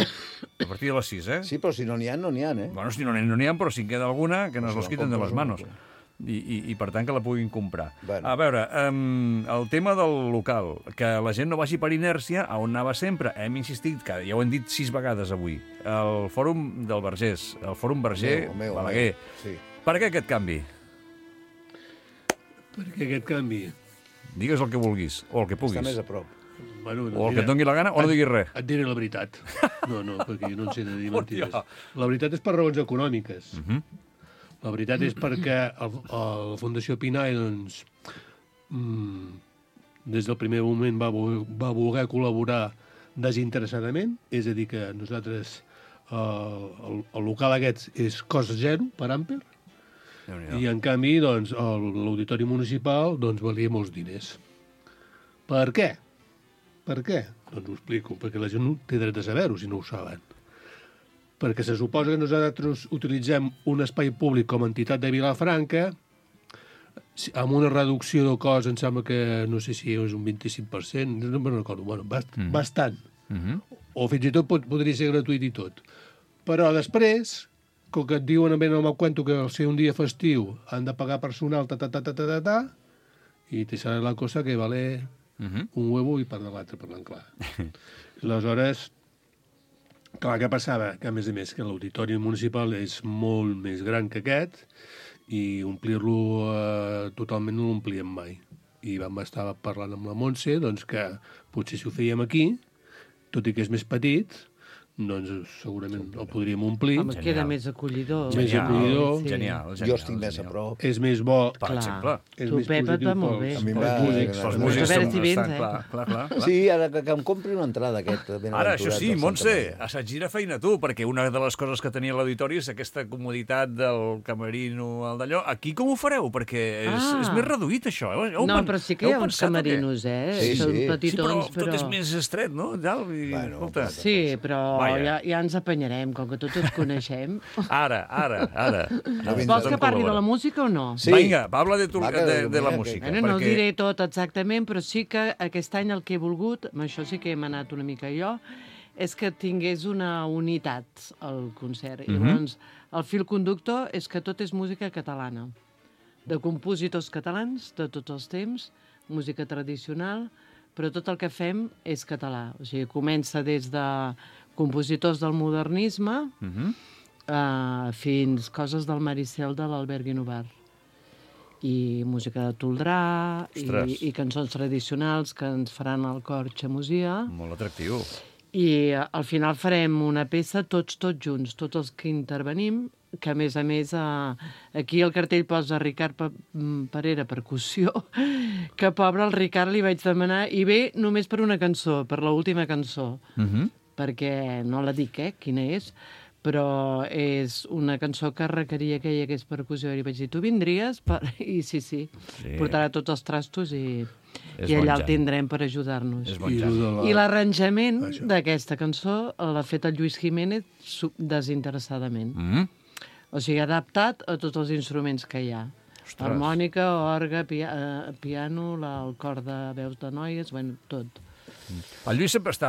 A partir de les sis, eh? Sí, però si no n'hi ha, no n'hi ha, eh? Bueno, si no n'hi no n'hi ha, però si en queda alguna, que nos Pues los la quiten de compres les una, manos. pues. I, i, i per tant que la puguin comprar. Bueno. A veure, um, el tema del local, que la gent no vagi per inèrcia, a on anava sempre, hem insistit, que ja ho hem dit sis vegades avui, el fòrum del Vergés, el fòrum Verger El meu, el meu, Balaguer. sí. Per què aquest canvi? Perquè aquest canvi Digues el que vulguis, o el que puguis. Està més a prop. Bueno, O el que et doni la gana, o no diguis res. Et diré la veritat. No, no, perquè jo no en sé de dir mentides. La veritat és per raons econòmiques. Uh -huh. La veritat és perquè el, el, la Fundació Pinai, doncs, mmm, des del primer moment va, vo- va voler col·laborar desinteressadament, és a dir, que nosaltres, eh, el, el local aquest és cost zero per Amper, Déu-n'hi-do. i en canvi, doncs, el- l'auditori municipal doncs, valia molts diners. Per què? Per què? Doncs ho explico, perquè la gent no té dret a saber-ho, si no ho saben. Perquè se suposa que nosaltres utilitzem un espai públic com a entitat de Vilafranca si- amb una reducció del cost, em sembla que, no sé si és un vint-i-cinc per cent, no me'n recordo, bueno, bast mm. bastant. Uh -huh. O fins i tot pot, podria ser gratuït i tot. Però després, com que et diuen ben el meu cuento que al ser un dia festiu han de pagar personal, ta, ta, ta, ta, ta, ta, ta, i te sale la cosa que vale Uh -huh. un huevo i part de l'altre, parlant clar. Aleshores, clar, què passava? Que, a més a més, que l'auditori municipal és molt més gran que aquest i omplir-lo eh, totalment no l'omplíem mai. I vam estar parlant amb la Montse doncs, que potser si ho fèiem aquí, tot i que és més petit, doncs segurament el podríem omplir. Home, queda més acollidor. Més Genial, acollidor. Sí. Genial, genial. Jo estic més a genial. prop. És més bo. Per Clar. exemple. És Tu, més Pepa, positiu està molt pels- bé. A mi pels m'ha- músics. Els A músics veure estan, si vens, estan eh? clar, clar, clar, clar. Sí, ara que, que em compri una entrada aquest. Ara, això sí, Montse, assaig de feina tu, perquè una de les coses que tenia l'auditori és aquesta comoditat del camerino, el d'allò. Aquí com ho fareu? Perquè és, Ah. és més reduït, això. Heu, heu No, pen- però sí que heu hi ha uns pensat o què? camerinos, eh? Sí, Són sí. Sí, però petitons, tot és més estret, no? Dalt, i, Bueno, escolta. Sí, però Vaja. ja, ja ens apanyarem, com que tots ens coneixem. Ara, ara, ara. No vindrà. Vols que parli de la música o no? Sí. Vinga, parla de, tu, Va, que- de, de la mira, música. Bueno, no ho perquè... diré tot exactament, però sí que aquest any el que he volgut, amb això sí que hem anat una mica jo, és que tingués una unitat al concert. I Mhm. llavors, el fil conductor és que tot és música catalana, de compositors catalans de tots els temps, música tradicional, però tot el que fem és català. O sigui, comença des de compositors del modernisme Mhm. uh, fins coses del Maricel de l'Albert Guinovart. I música de Toldrà, Ostres. i, i cançons tradicionals que ens faran el cor Xamosia. Molt atractiu. I eh, al final farem una peça tots, tots junts, tots els que intervenim, que a més a més eh, aquí el cartell posa Ricard Pa- mm, Parera, percussió, que pobre el Ricard li vaig demanar, i ve només per una cançó, per l'última cançó, Mhm. perquè no la dic, eh, quina és, però és una cançó que requeria que hi hagués percussió. I li vaig dir, tu vindries? Per... I sí, sí, Sí. portarà tots els trastos i, És i allà bon el jan. tindrem per ajudar-nos. És bon I, jan. lo de la... I l'arranjament Això. d'aquesta cançó l'ha fet el Lluís Jiménez su- desinteressadament. Mhm. O sigui, adaptat a tots els instruments que hi ha. Ostres. Harmònica, orgue, pia eh, piano, la, el cor de veus de noies, bueno, tot. El Lluís sempre està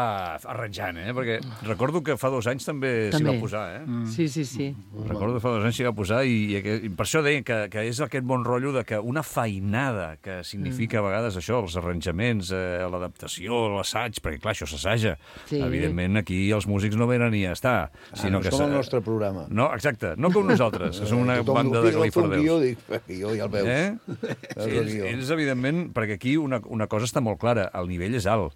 arranjant, eh? Perquè recordo que fa dos anys també, s'hi També. va posar, eh? Mm. Sí, sí, sí. Recordo que fa dos anys s'hi va posar i, i, aquest- i per això deia que, que és aquest bon rotllo de que una feinada que significa a vegades això, els arranjaments, eh, l'adaptació, l'assaig, perquè clar, això s'assaja. Sí. Evidentment aquí els músics no venen ni a estar, Ah, sinó no que... és com s'ha- el nostre programa. No, exacte, no com nosaltres, que som una Tothom banda diu, de "Fes el teu guió", califardeus. dic, "Eh, jo ja el veus. Eh? Veus el Ells, guió. ells, evidentment, perquè aquí una, una cosa està molt clara, el nivell és alt.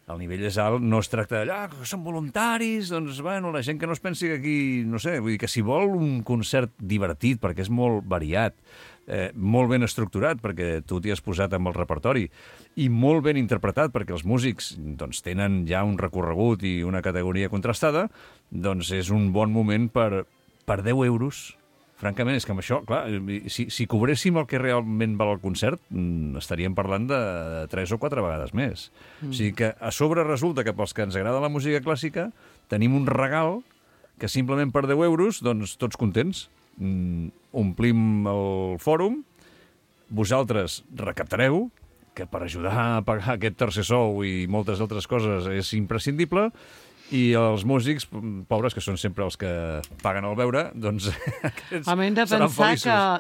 El nivell és alt, no es tracta d'allà, ah, que són voluntaris, doncs, bueno, la gent que no es pensi que aquí, no sé, vull dir que si vol un concert divertit, perquè és molt variat, eh, molt ben estructurat, perquè tu t'hi has posat amb el repertori, i molt ben interpretat, perquè els músics doncs, tenen ja un recorregut i una categoria contrastada, doncs és un bon moment per, per deu euros. Francament, és que amb això, clar, si, si cobréssim el que realment val el concert, mm, estaríem parlant de tres o quatre vegades més. Mm. O sigui que a sobre resulta que pels que ens agrada la música clàssica tenim un regal que simplement per deu euros, doncs tots contents. Mm, omplim el fòrum, vosaltres recaptareu, que per ajudar a pagar aquest tercer sou i moltes altres coses és imprescindible, i els músics, pobres, que són sempre els que paguen el beure, doncs aquests Home, hem de seran pensar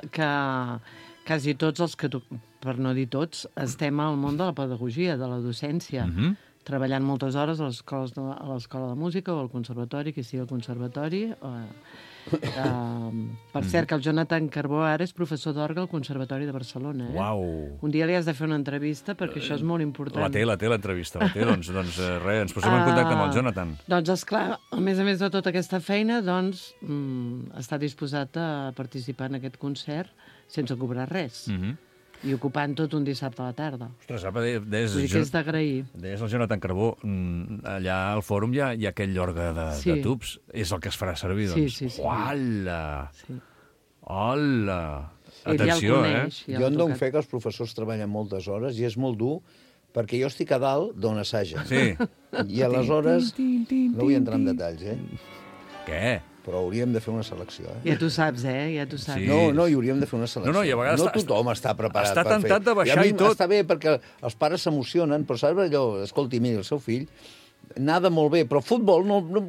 feliços. que, que quasi tots els que, tu- per no dir tots, estem al món de la pedagogia, de la docència. Mhm. treballant moltes hores a l'escola de, a l'escola de música o al conservatori, que sigui al conservatori. O, uh, per cert, que el Jonathan Carbó ara és professor d'orgue al Conservatori de Barcelona. Eh? Uau. Un dia li has de fer una entrevista perquè això és molt important. La té, la té, l'entrevista, la té. doncs, doncs eh, res, ens posem en contacte amb el Jonathan. Uh, doncs, esclar, a més a més de tota aquesta feina, doncs, mm, està disposat a participar en aquest concert sense cobrar res. Mm -hmm. I ocupant tot un dissabte a la tarda. Ostres, apa, deies, Vull dir que és d'agrair. deies el Jonathan Carbó, mm, allà al fòrum hi ha, hi ha aquell orgue de, Sí. de tubs. És el que es farà servir, Sí, doncs. sí, sí. Uala! Sí. Hola! Ell Atenció, ja el eh? coneix, ja Jo l'ha en dono tocat. fe que els professors treballen moltes hores i és molt dur perquè jo estic a dalt d'on assaja. Sí. I aleshores, Tin, tin, tin, no vull entrar en tin. detalls, eh? Què? Però hauríem de fer una selecció, eh? Ja tu saps, eh? Ja tu saps. Sí. No, no, hi hauríem de fer una selecció. No, no, i a vegades no està- tothom està preparat està per fer. tentat de baixar I, a mi i tot. Està bé perquè els pares s'emocionen, però saps allò, escolti, mira, el seu fill nada molt bé, però futbol, no, no,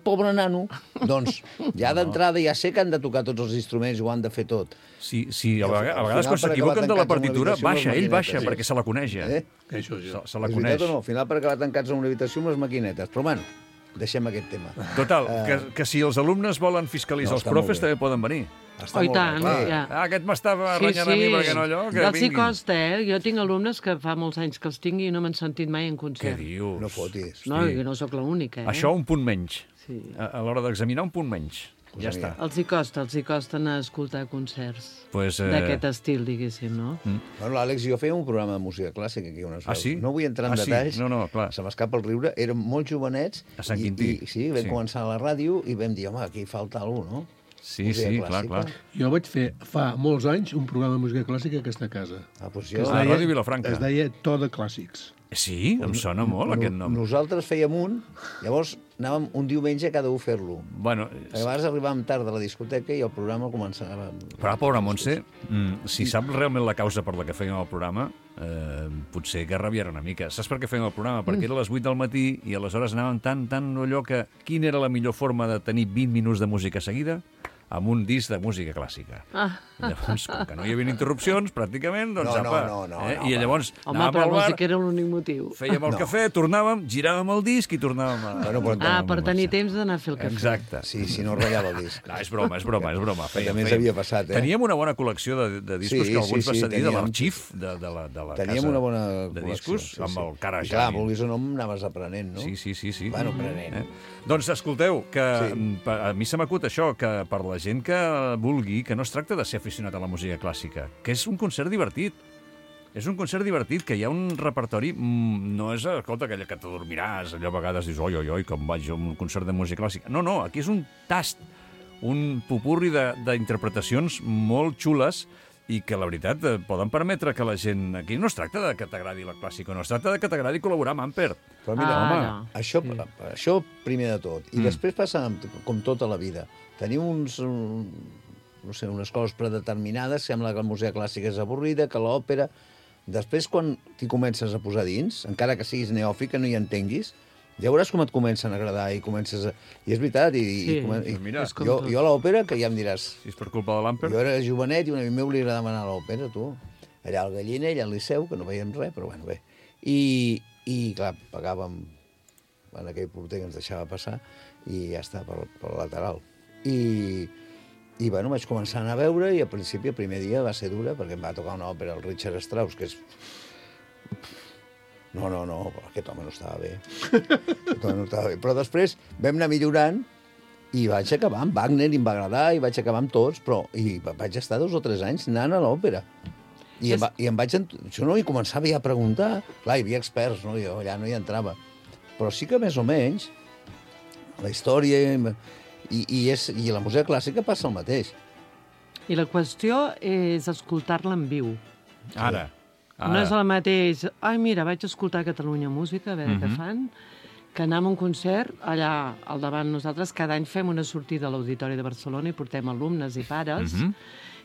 pobre nano. Doncs ja d'entrada ja sé que han de tocar tots els instruments i ho han de fer tot. Sí, sí, a, al vegades, a final, vegades quan per s'equivoquen acabar de la tancats en una partitura, habitació amb les baixa, ell baixa, maquinetes, sí. perquè se la coneix ja. Eh? Això sí. Se, se la És coneix. veritat o no? Al final per acabar tancats en una habitació amb les maquinetes. Però, bueno, deixem aquest tema. Total, que, que si els alumnes volen fiscalitzar No, els està profes, molt bé. també poden venir. Està Oh, i molt bé, tant, clar. ja. Ah, aquest m'estava renyant a mi perquè no allò, que Els hi vinguin. costa, eh? Jo tinc alumnes que fa molts anys que els tinc i no m'han sentit mai en Què concert. dius? No fotis. No, jo no sóc l'única, eh? Això un punt menys. Sí. A, a l'hora d'examinar, un punt menys. Ja Pues està. Els hi costa, els hi costa anar a escoltar concerts Pues, eh, d'aquest estil, diguéssim, no? Bueno, l'Àlex i jo fèiem un programa de música clàssica aquí on es Ah, veu. sí? No vull entrar en Ah, sí? detalls. No, no, clar. Se m'escapa el riure. Érem molt jovenets. A Sant i- Quintí. I, sí, vam Sí. començar a la ràdio i vam dir, home, aquí falta algú, no? Sí, Música sí, clar, clàssica. clar. Jo vaig fer fa molts anys un programa de música clàssica a aquesta casa. Ah, doncs Que jo... es A deia- Ràdio Vilafranca. Es deia To de Clàssics. Sí, em sona molt aquest nom. Nosaltres fèiem un, llavors anàvem un diumenge a cada un fer-lo. Bueno, A vegades arribàvem tard a la discoteca i el programa començava... però, pobra Montse, mm, si sap realment la causa per la que fèiem el programa, eh, potser que rabiarà una mica. Saps per què fèiem el programa? Perquè era a les vuit del matí i aleshores anàvem tan, tan allò que... Quina era la millor forma de tenir vint minuts de música seguida? Amb un disc de música clàssica. Ah. Llavors, com que no hi havia interrupcions, pràcticament, doncs, No, no, apa, no, no, eh? no, I va. llavors Home, anàvem però al vols dir bar, que era l'únic motiu. fèiem el No. cafè, tornàvem, giràvem el disc i tornàvem a... Bueno, però Ah, tornàvem per a tenir marxar. temps d'anar a fer el cafè. Exacte. Sí, si no ratllava el disc. No, és broma, és broma, és broma. Fèiem, també ens fèiem. havia passat, eh? Teníem una bona col·lecció de, de discos Sí, que algú ens sí, va sí, cedir de teníem. l'arxif de, de, la, de la Teníem casa una bona de col·lecció, discos sí, amb sí. el cara I clar, Jani. vulguis o no, anaves aprenent, no? Sí, sí, sí, sí. Bueno, aprenent. Eh? Doncs escolteu, que Sí. mm, pa- a mi se m'acut això, que per la gent que vulgui, que no es tracta de ser aficionat a la música clàssica, que és un concert divertit. És un concert divertit, que hi ha un repertori... mm, No és, escolta, aquella que t'adormiràs, allò a vegades dius, oi, oi, oi, com vaig a un concert de música clàssica. No, no, aquí és un tast, un pupurri de- d'interpretacions molt xules i que, la veritat, eh, poden permetre que la gent... Aquí no es tracta de que t'agradi la clàssica, no es tracta de que t'agradi col·laborar amb Amper. Però mira, Ah, home, no. això, això primer de tot. I Mm. després passa amb- com tota la vida. Tenim uns, un, no sé, unes coses predeterminades, sembla que la música clàssica és avorrida, que l'òpera... Després, quan t'hi comences a posar dins, encara que siguis neòfit, que no hi entenguis, ja veuràs com et comencen a agradar i comences a... I és veritat, i, Sí, i, comen- i mira, és com jo, tot. jo a l'òpera, que ja em diràs, Si és per culpa de l'Amper... jo era jovenet i un amic meu li agradava anar a l'òpera, tu. Allà al Gallinell, al Liceu, que no veiem res, però bueno, bé. I, i clar, pagàvem en aquell porter que ens deixava passar i ja està, pel, pel lateral. I, i bueno, vaig començar a anar a veure i al principi, el primer dia, va ser dura perquè em va tocar una òpera, el Richard Strauss, que és... No, no, no, però aquest home no estava bé. Aquest home no estava bé. Però després vam anar millorant i vaig acabar amb Wagner i em va agradar i vaig acabar amb tots, però i vaig estar dos o tres anys anant a l'òpera. I, em, va, I em vaig... ent- Jo no hi començava ja a preguntar. Clar, hi havia experts, no? Jo allà no hi entrava. Però sí que més o menys la història i, i, és, i la música clàssica passa el mateix. I la qüestió és escoltar-la en viu. Ara. Ara. No és el mateix, ai, mira, vaig escoltar a Catalunya Música, a veure Mhm. què fan, que anar a un concert allà al davant nosaltres. Cada any fem una sortida a l'Auditori de Barcelona i portem alumnes i pares, Mhm.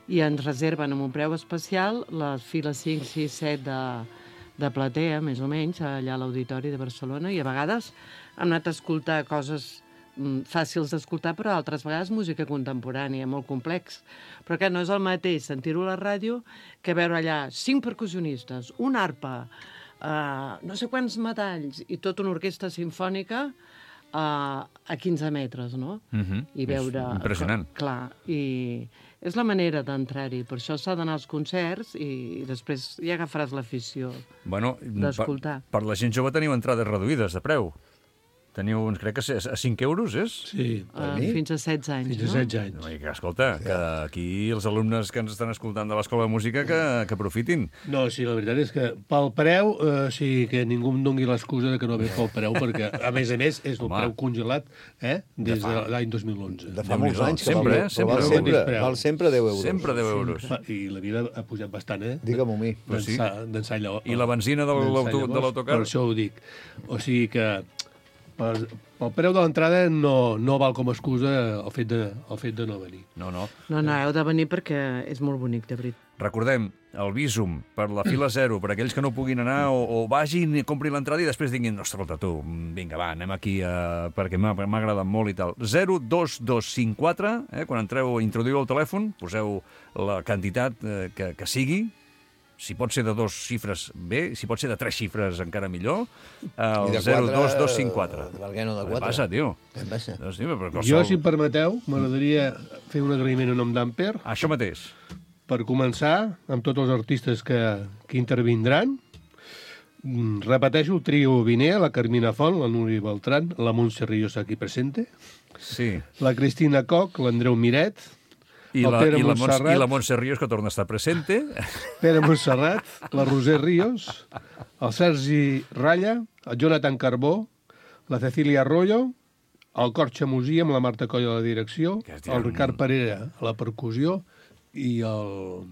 i ens reserven amb un preu especial les files cinc, sis, set de, de platea, més o menys, allà a l'Auditori de Barcelona, i a vegades hem anat a escoltar coses mm, fàcils d'escoltar, però altres vegades música contemporània, molt complex. Però que no és el mateix sentir-ho a la ràdio que veure allà cinc percussionistes, una arpa, uh, no sé quants metalls i tota una orquestra sinfònica uh, a quinze metres, no? Mhm. I veure... És impressionant. Clar, i és la manera d'entrar-hi. Per això s'ha d'anar als concerts i després ja agafaràs l'afició. Bueno, d'escoltar. per, per la gent jove teniu entrades reduïdes de preu. Teniu, uns, crec que a cinc euros, és? Sí, Uh, mi? fins a setze anys, fins a no? setze anys. No, i que, escolta, que aquí els alumnes que ens estan escoltant de l'Escola de Música que, que aprofitin. No, sí, la veritat és que pel preu, eh, sí que ningú em doni l'excusa de que no ve pel preu, perquè, a més a més, és el Home. preu congelat eh, des de l'any dos mil onze. De fa Déu-n'hi-do. molts anys que Sempre, val, eh? Sempre. val, sempre, Sempre. val sempre deu euros. Sempre deu euros. Va, I la vida ha pujat bastant, eh? Digue-m'ho a mi. Però sí. D'ençà d'ençà llavors. I la benzina de d'ençà l'auto- de llavors, l'autocar? Per això ho dic. O sigui que per, pel preu de l'entrada no, no val com a excusa el fet, de, el fet de no venir. No, no. No, no, heu de venir perquè és molt bonic, de veritat. Recordem, el Visum, per la fila zero, per aquells que no puguin anar, o, o vagin i comprin l'entrada i després diguin, no, escolta, tu, vinga, va, anem aquí uh, perquè m'ha m'ha agradat molt i tal. zero dos dos cinc quatre, eh, quan entreu, introduïu el telèfon, poseu la quantitat eh, que, que sigui, si pot ser de dos xifres, bé, si pot ser de tres xifres, encara millor, el I de zero dos quatre, dos cinc quatre. per què no de Què quatre? passa, tio? Què passa? No, sí, però Jo, qualsevol... si em permeteu, m'agradaria fer un agraïment en nom d'Amper. Això mateix. Per començar, amb tots els artistes que, que intervindran, mm, repeteixo el trio Vinea, la Carmina Font, la Núria Beltrán, la Montse Ríos aquí presente, Sí. la Cristina Coc, l'Andreu Miret, I el la, Pere i, la Montse, Montserrat. I la Montse Ríos, que torna a estar presente. Pere Montserrat, la Roser Ríos, el Sergi Ralla, el Jonathan Carbó, la Cecília Arroyo, el Cor Xamusí amb la Marta Coll a la direcció, Que es diuen- el Ricard Parera a la percussió i el...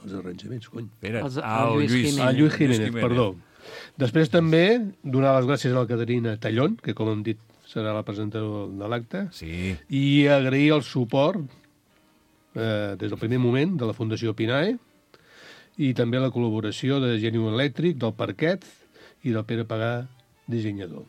els arranjaments, cony. Espera, Els- el ah, el Lluís Lluís, Jiménez. Ah, Lluís Jiménez, perdó. Després també donar les gràcies a la Caterina Tallón, que com hem dit serà la presentadora de l'acte, Sí. i agrair el suport eh, des del primer moment de la Fundació Pinae i també la col·laboració de Geniu Elèctric, del Parquet i del Pere Pagà, dissenyador.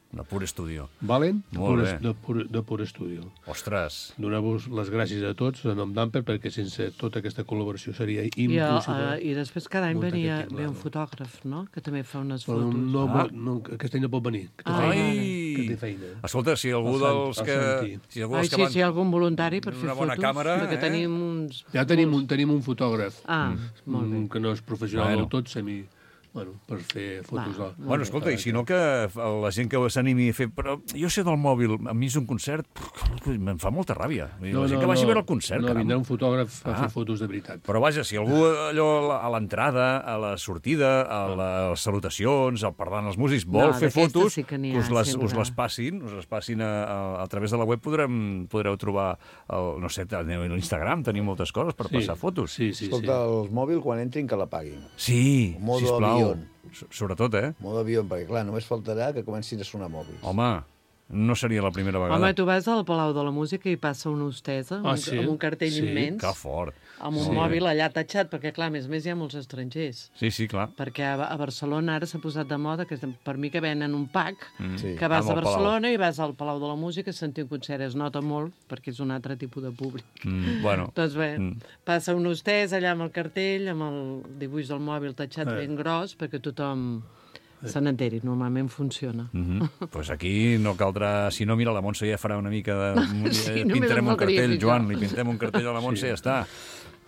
De pur estudio. Valen? De Molt pur, bé. de, pur, de pur estudio. Ostres. Donar-vos les gràcies a tots en nom d'Amper perquè sense tota aquesta col·laboració seria I, impossible. uh, I després cada any muntar venia, aquest ve un tinglado. fotògraf, no?, que també fa unes Però fotos. no, Ah. no, aquest any no pot venir, que té Ai. feina. Que té feina. Escolta, si algú El Sant- dels el que... Santi. Si algú Ai, dels que sí, van... sí, algun voluntari per fer Una bona fotos. càmera, perquè eh? tenim uns... Ja tenim un, tenim un fotògraf, Ah, molt bé. mm, que no és professional Bueno. del tot, semi... Bueno, per fer fotos. Va, de... Bueno, escolta, i si no que la gent que s'animi a fer... Però jo sé del mòbil, a mi és un concert... Em fa molta ràbia. Vull dir, la gent que vagi a veure el concert, No, caram. vindrà un fotògraf a Ah. fer fotos de veritat. Però vaja, si algú allò a l'entrada, a la sortida, a les salutacions, al parlant als músics, vol No, fer d'aquestes fotos, sí que n'hi ha us, les, sempre. us les passin, us les passin a, a, a través de la web, podrem, podreu trobar, el, no sé, a l'Instagram, tenim moltes coses per passar fotos. Sí, sí, Escolta, sí. el mòbil, quan entrin, que la paguin. Sí, Modo sisplau. avión. So- Sobretot, eh? Modo avió, perquè, clar, només faltarà que comencin a sonar mòbils. Home, no seria la primera vegada. Home, tu vas al Palau de la Música i passa una hostessa amb, Ah, un- sí? amb un cartell Sí. immens, Que fort. amb un Sí. mòbil allà tatxat, perquè, clar, a més a més hi ha molts estrangers. Sí, sí, clar. Perquè a, a Barcelona ara s'ha posat de moda, que per mi que venen un pack, Sí. que vas Amb a el Palau. Barcelona i vas al Palau de la Música a sentir un concert. Es nota molt, perquè és un altre tipus de públic. Mm, bueno, Doncs bé, Mm. passa un hostès allà amb el cartell, amb el dibuix del mòbil tatxat Eh. ben gros, perquè tothom se n'enteri. Normalment funciona. mm -hmm. pues aquí no caldrà... Si no, mira, la Montse ja farà una mica de... Sí, eh, només pintarem em un faltaria cartell, fer Joan, això. li pintem un cartell a la Montse i ja està.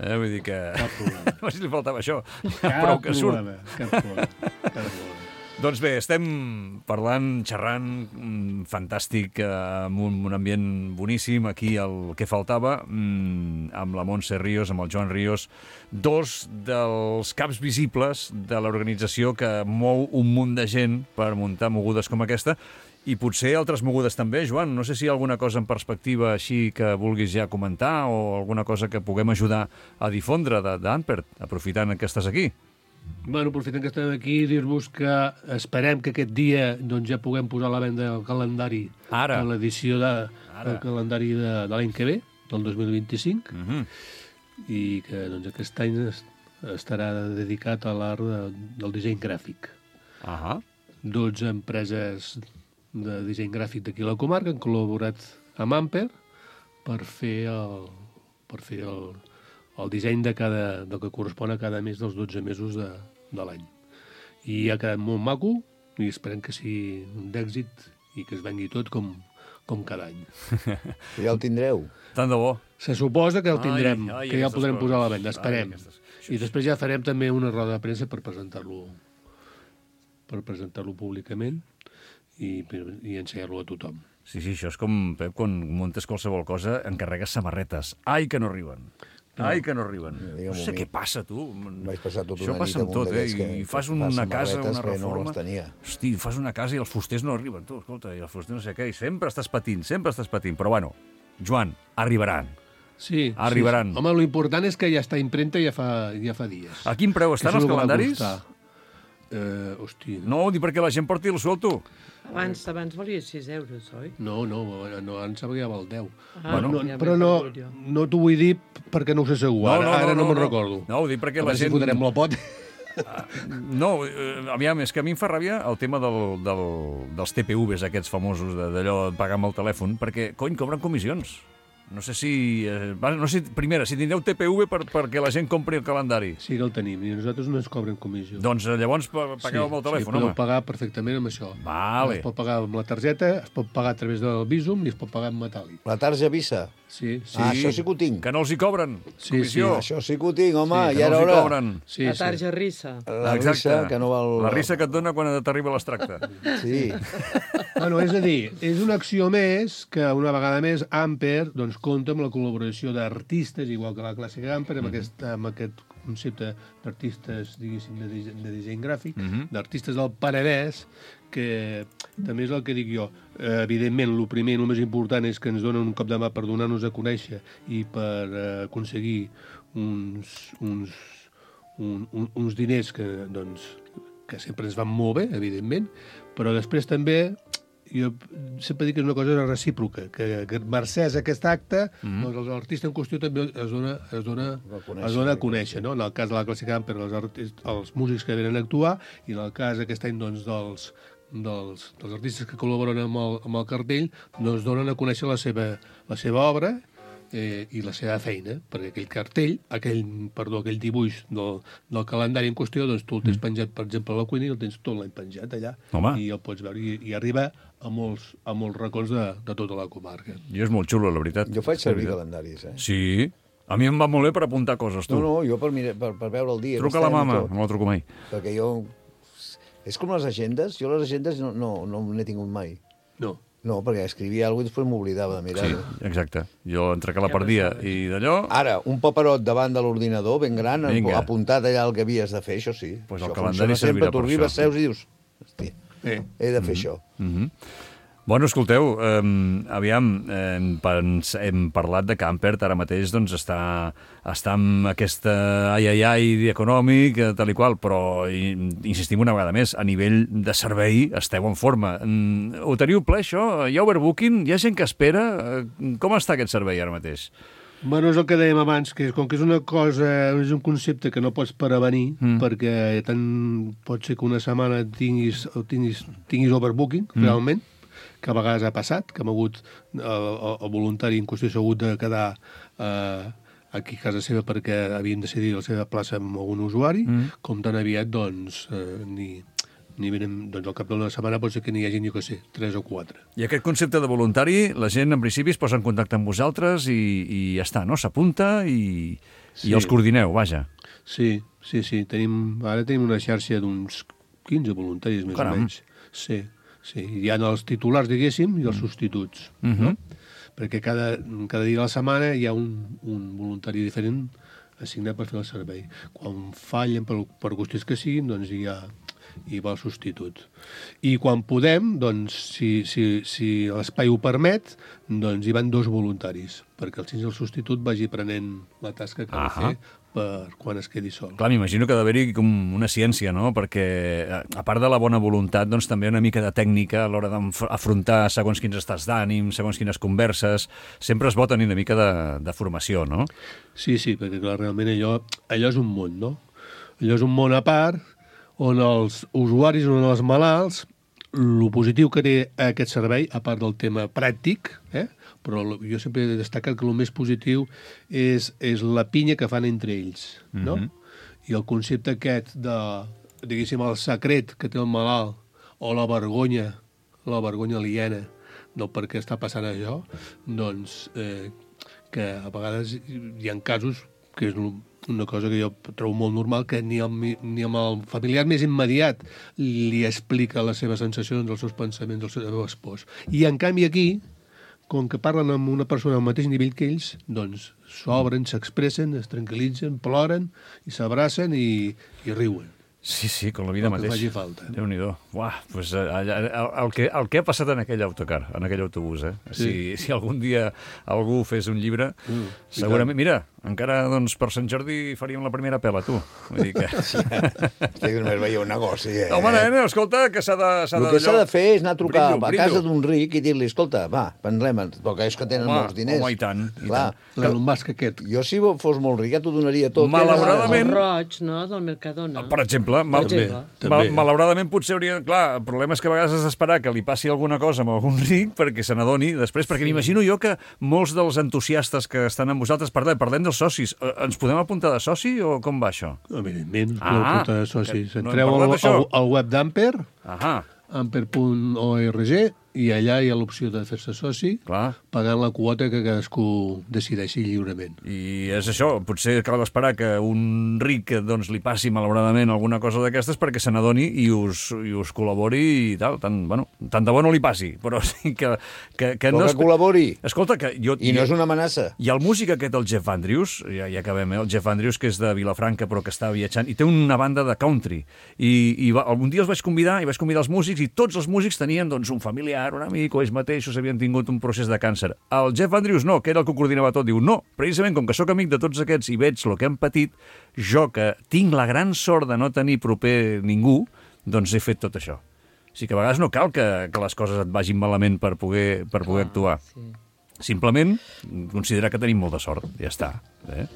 Eh, vull dir que... Cap problema. No sé si li faltava això. Cap Prou que surt. problema, cap problema. Cap problema. Doncs bé, estem parlant, xerrant, mm, fantàstic, eh, amb un, un ambient boníssim, aquí el que faltava, mm, amb la Montse Ríos, amb el Joan Ríos, dos dels caps visibles de l'organització que mou un munt de gent per muntar mogudes com aquesta, i potser altres mogudes també, Joan. No sé si hi ha alguna cosa en perspectiva així que vulguis ja comentar o alguna cosa que puguem ajudar a difondre de- d'Ampert, aprofitant que estàs aquí. Bueno, aprofitant que estem aquí, dir-vos que esperem que aquest dia doncs, ja puguem posar a la venda el calendari Ara. de l'edició de, Ara. del calendari de, de l'any que ve, del dos mil vint-i-cinc, Mm -hmm. i que doncs, aquest any es, estarà dedicat a l'art de, del disseny gràfic. Ahà. dotze empreses de disseny gràfic d'aquí a la comarca han col·laborat amb Amper per fer el, per fer el, el disseny de cada, del que correspon a cada mes dels dotze mesos de, de l'any. I ha quedat molt maco i esperem que sigui un d'èxit i que es vengui tot com, com cada any. Ja el tindreu. Tant de bo. Se suposa que el tindrem, Ai, ai, que ja el aquestes podrem coses. posar a la venda, esperem. Ai, aquestes- I després ja farem també una roda de premsa per presentar-lo per presentar-lo públicament i, i ensenyar-lo a tothom. Sí, sí, això és com, Pep, quan muntes qualsevol cosa, encarregues samarretes. Ai, que no arriben. Ai, que no arriben. digue'm-ho No sé a mi. què passa, tu. Vaig passar tota Això una passa nit amb amb un tot, eh? d'aquests que- I fas que una fa casa, samarretes una que no reforma... les tenia. Hosti, fas una casa i els fusters no arriben, tu, escolta, i els fusters no sé què, i sempre estàs patint, sempre estàs patint. Però bueno, Joan, arribaran. Sí, Arribaran. Sí, sí. Home, l'important és que ja està impremta ja fa, ja fa dies. A quin preu estan Això és els el que va calendaris? costar. Eh, hosti, No, dic perquè la gent porti el suelto. Abans, abans valia sis euros, oi? no, no, no, ara em sembla que ja val deu. Ah, Bueno, no, ja m'he però no, perdut jo. no t'ho vull dir perquè no ho sé segur, ara no, ara no, me'n recordo. No, ho dic perquè A la veure si gent... fotrem la pot. No, eh, aviam, és que a mi em fa ràbia el tema del, del, dels T P Vs aquests famosos, de- d'allò de pagar amb el telèfon, perquè, cony, cobren comissions. No sé si... Eh, va- no sé, primera, si tindreu T P V per, perquè la gent compri el calendari. Sí que el tenim, i nosaltres no ens cobren comissió. Doncs eh, llavors pa- pagueu amb el telèfon, sí, podeu home. pagar perfectament amb això. Vale. Es pot pagar amb la targeta, es pot pagar a través del Bizum i es pot pagar en metàl·lic. La tarja Visa. Sí, sí. Ah, això sí que ho tinc. Que no els hi cobren Sí, comissió. Això sí que ho tinc, home, que ja no era els hi hora. cobren. sí, La sí. tarja rissa. La Exacte. risa, que no val... La risa que et dona quan t'arriba l'extracte. Sí. Bueno, és a dir, és una acció més que una vegada més Amper doncs, compta amb la col·laboració d'artistes, igual que la clàssica Amper, amb, aquest, amb aquest concepte d'artistes, diguéssim, de, dise- de disseny gràfic, d'artistes del Penedès, que també és el que dic jo. Eh, evidentment, el primer i el més important és que ens donen un cop de mà per donar-nos a conèixer i per eh, aconseguir uns, uns, un, un, uns diners que, doncs, que sempre ens van molt bé, evidentment, però després també jo sempre dic que és una cosa recíproca, que, que mercès aquest acte, mm. doncs l'artista en qüestió també es dona, es dona, Reconèixer, es dona a conèixer, no? En el cas de la clàssica Amper, els, artistes, els músics que venen a actuar, i en el cas aquest any doncs, dels, dels, dels artistes que col·laboren amb el, amb el cartell, doncs donen a conèixer la seva, la seva obra eh, i la seva feina, perquè aquell cartell, aquell, perdó, aquell dibuix del, del calendari en qüestió, doncs tu el tens penjat, per exemple, a la cuina i el tens tot l'any penjat allà. Home. I el pots veure, i, i arriba a molts, a molts racons de, de tota la comarca. Jo és molt xulo, la veritat. Jo faig servir La veritat. calendaris, eh? Sí? A mi em va molt bé per apuntar coses, tu. No, no, jo per, mira, per, per veure el dia. Truca a la aquest any i mama, tot. no la truco mai. Perquè jo... És com les agendes. Jo les agendes no, no, no n'he tingut mai. No. No, perquè escrivia alguna cosa i després m'oblidava de Sí, mirar-ho. exacte. Jo entre que la perdia i d'allò... Ara, un paperot davant de l'ordinador, ben gran, Vinga. apuntat allà el que havies de fer, això sí. Pues el Això calendari funciona sempre. servirà Tu per arribes, això. seus i dius... Hòstia, Eh. he de fer això. Mhm. Bueno, escolteu, eh, aviam, eh, pens, hem parlat de que Ampert ara mateix doncs, està, està amb aquesta ai ai ai econòmic, eh, tal i qual, però i, insistim una vegada més, a nivell de servei esteu en forma. Mm, ho teniu ple, això? Hi ha overbooking? Hi ha gent que espera? Eh, Com està aquest servei ara mateix? Bueno, és el que dèiem abans, que com que és una cosa, és un concepte que no pots prevenir, mm. perquè tant pot ser que una setmana tinguis, tinguis, tinguis overbooking, mm. realment, que a vegades ha passat, que hem hagut, el, el, el voluntari en qüestió s'ha hagut de quedar eh, aquí a casa seva perquè havien decidit la seva plaça amb algun usuari, mm. com tan aviat, doncs, eh, ni, ni venen, doncs al cap d'una setmana pot ser que n'hi hagi, jo què sé, tres o quatre. I aquest concepte de voluntari, la gent en principi es posa en contacte amb vosaltres i, i ja està, no? S'apunta i, Sí. i els coordineu, vaja. Sí, sí, sí. Tenim, ara tenim una xarxa d'uns quinze voluntaris, més Caram. o menys. Sí, sí. Hi ha els titulars, diguéssim, i els substituts. Mhm. No? Perquè cada, cada dia de la setmana hi ha un, un voluntari diferent assignat per fer el servei. Quan fallen per, per qüestions que siguin, doncs hi ha, hi va el substitut. I quan podem, doncs, si, si, si l'espai ho permet, doncs hi van dos voluntaris, perquè el, el substitut vagi prenent la tasca que ha de Ahà. fer per quan es quedi sol. Clar, m'imagino que ha d'haver-hi com una ciència, no? Perquè, eh, a part de la bona voluntat, doncs també una mica de tècnica a l'hora d'afrontar segons quins estats d'ànim, segons quines converses. Sempre es pot tenir una mica de, de formació, no? Sí, sí, perquè clar, realment allò, allò és un món, no? Allò és un món a part on els usuaris, on els malalts, el positiu que té aquest servei, a part del tema pràctic, eh? però jo sempre he destacat que el més positiu és, és la pinya que fan entre ells, no? Mhm. I el concepte aquest de, diguéssim, el secret que té el malalt o la vergonya, la vergonya aliena del per què està passant això, doncs eh, que a vegades hi ha casos que és una cosa que jo trobo molt normal, que ni, el, ni amb el familiar més immediat li explica les seves sensacions, els seus pensaments, els seus pors. I en canvi aquí, com que parlen amb una persona al mateix nivell que ells, doncs s'obren, s'expressen, es tranquil·litzen, ploren i s'abracen i, i riuen. Sí, sí, com la vida El que mateix. faci falta. Déu-n'hi-do. Uah, pues, eh, allà, el, el, que, el que ha passat en aquell autocar, en aquell autobús, eh? Sí. Si, si algun dia algú fes un llibre, Mm, segurament... Mira, encara doncs, per Sant Jordi faríem la primera pela, tu. Vull dir que... Estic només veia un negoci, eh? Home, nena, escolta, que s'ha de... s'ha El de que s'ha allò- de fer és anar a trucar Brillo, a brillo. casa d'un ric i dir-li, escolta, va, prendrem, perquè és que tenen Home, molts diners. home, i tant, i Clar, tant. L'Elon Musk aquest. jo si fos molt ric ja t'ho donaria tot. Malauradament- El roig, no?, del Mercadona. Per exemple, mal, Per exemple. També. mal, malauradament potser hauria... Clar, el problema és que a vegades has d'esperar que li passi alguna cosa amb algun ric perquè se n'adoni després, perquè m'imagino jo que molts dels entusiastes que estan amb vosaltres, parlem, parlem dels socis, eh, ens podem apuntar de soci o com va això? Evidentment, Ah, no porta de socis. que no hem Entreu parlat al, d'això. al, al web d'Amper, Ahà, amper punt org, i allà hi ha l'opció de fer-se soci, clar. pagant la quota que cadascú decideixi lliurement. I és això, potser cal esperar que un ric doncs, li passi malauradament alguna cosa d'aquestes perquè se n'adoni i us, i us col·labori i tal. Tant, bueno, tant de bo no li passi, però sí que... que, que Però no que col·labori. Escolta, que jo... I no és una amenaça. I el músic aquest, el Jeff Andrews, ja, ja acabem, eh? El Jeff Andrews, que és de Vilafranca, però que està viatjant, i té una banda de country. I, i va, un dia els vaig convidar, i vaig convidar els músics, i tots els músics tenien doncs, un familiar, un amic, o ells mateixos havien tingut un procés de càncer. El Jeff Andrews no, que era el que ho coordinava tot, diu, no, precisament com que sóc amic de tots aquests i veig el que han patit, jo que tinc la gran sort de no tenir proper ningú, doncs he fet tot això. O sigui que a vegades no cal que, que les coses et vagin malament per poder, per poder actuar. Sí. Simplement considerar que tenim molta sort, ja està. Eh?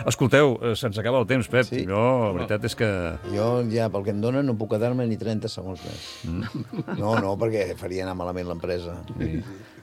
Escolteu, eh, se'ns acaba el temps, Pep. Sí. Jo, la veritat és que... Jo ja, pel que em donen, no puc quedar-me ni trenta segons més. Mm. No, no, perquè faria anar malament l'empresa.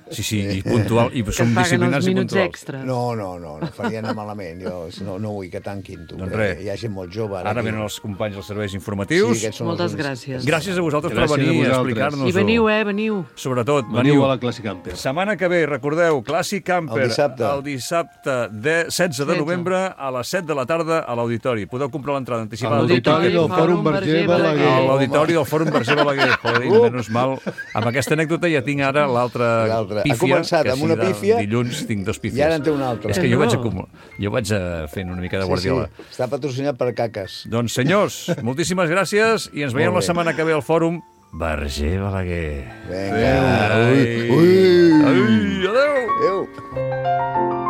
Sí, sí, i puntual, i Que som et paguen disciplinats els i minuts puntuals. extres. No, no, no, no faria anar malament. Jo no, no vull que tanquin, tu. Doncs que res. Hi ha gent molt jove. Ara aquí. venen els companys dels serveis Sí, informatius. aquests són els Moltes únics. gràcies. Gràcies a vosaltres Gràcies per venir a a vosaltres. explicar-nos-ho. I veniu, eh, veniu. Sobretot, Veniu veniu. a la Classic Amper. Setmana que ve, recordeu, Clàssic Camper. El dissabte. El dissabte de setze de setze. novembre a les set de la tarda a l'auditori. Podeu comprar l'entrada A anticipada. l'auditori del Fòrum Verger A Balaguer. l'auditori del Fòrum Verger Balaguer. Joder, menys mal. Amb aquesta anècdota ja tinc ara l'altra L'altra. Ha pífia. començat que amb si una de pífia Dilluns tinc dos pífies. i ara en té una altra. És que jo No. vaig acumular. Jo vaig eh, fent una mica de Sí, guardiola. sí, està patrocinat per caques. Doncs, senyors, moltíssimes gràcies i ens veiem Molt la bé. setmana que ve al Fòrum Verger Balaguer. Vinga. Ai. Ui, ui. Ai, adéu. Adéu.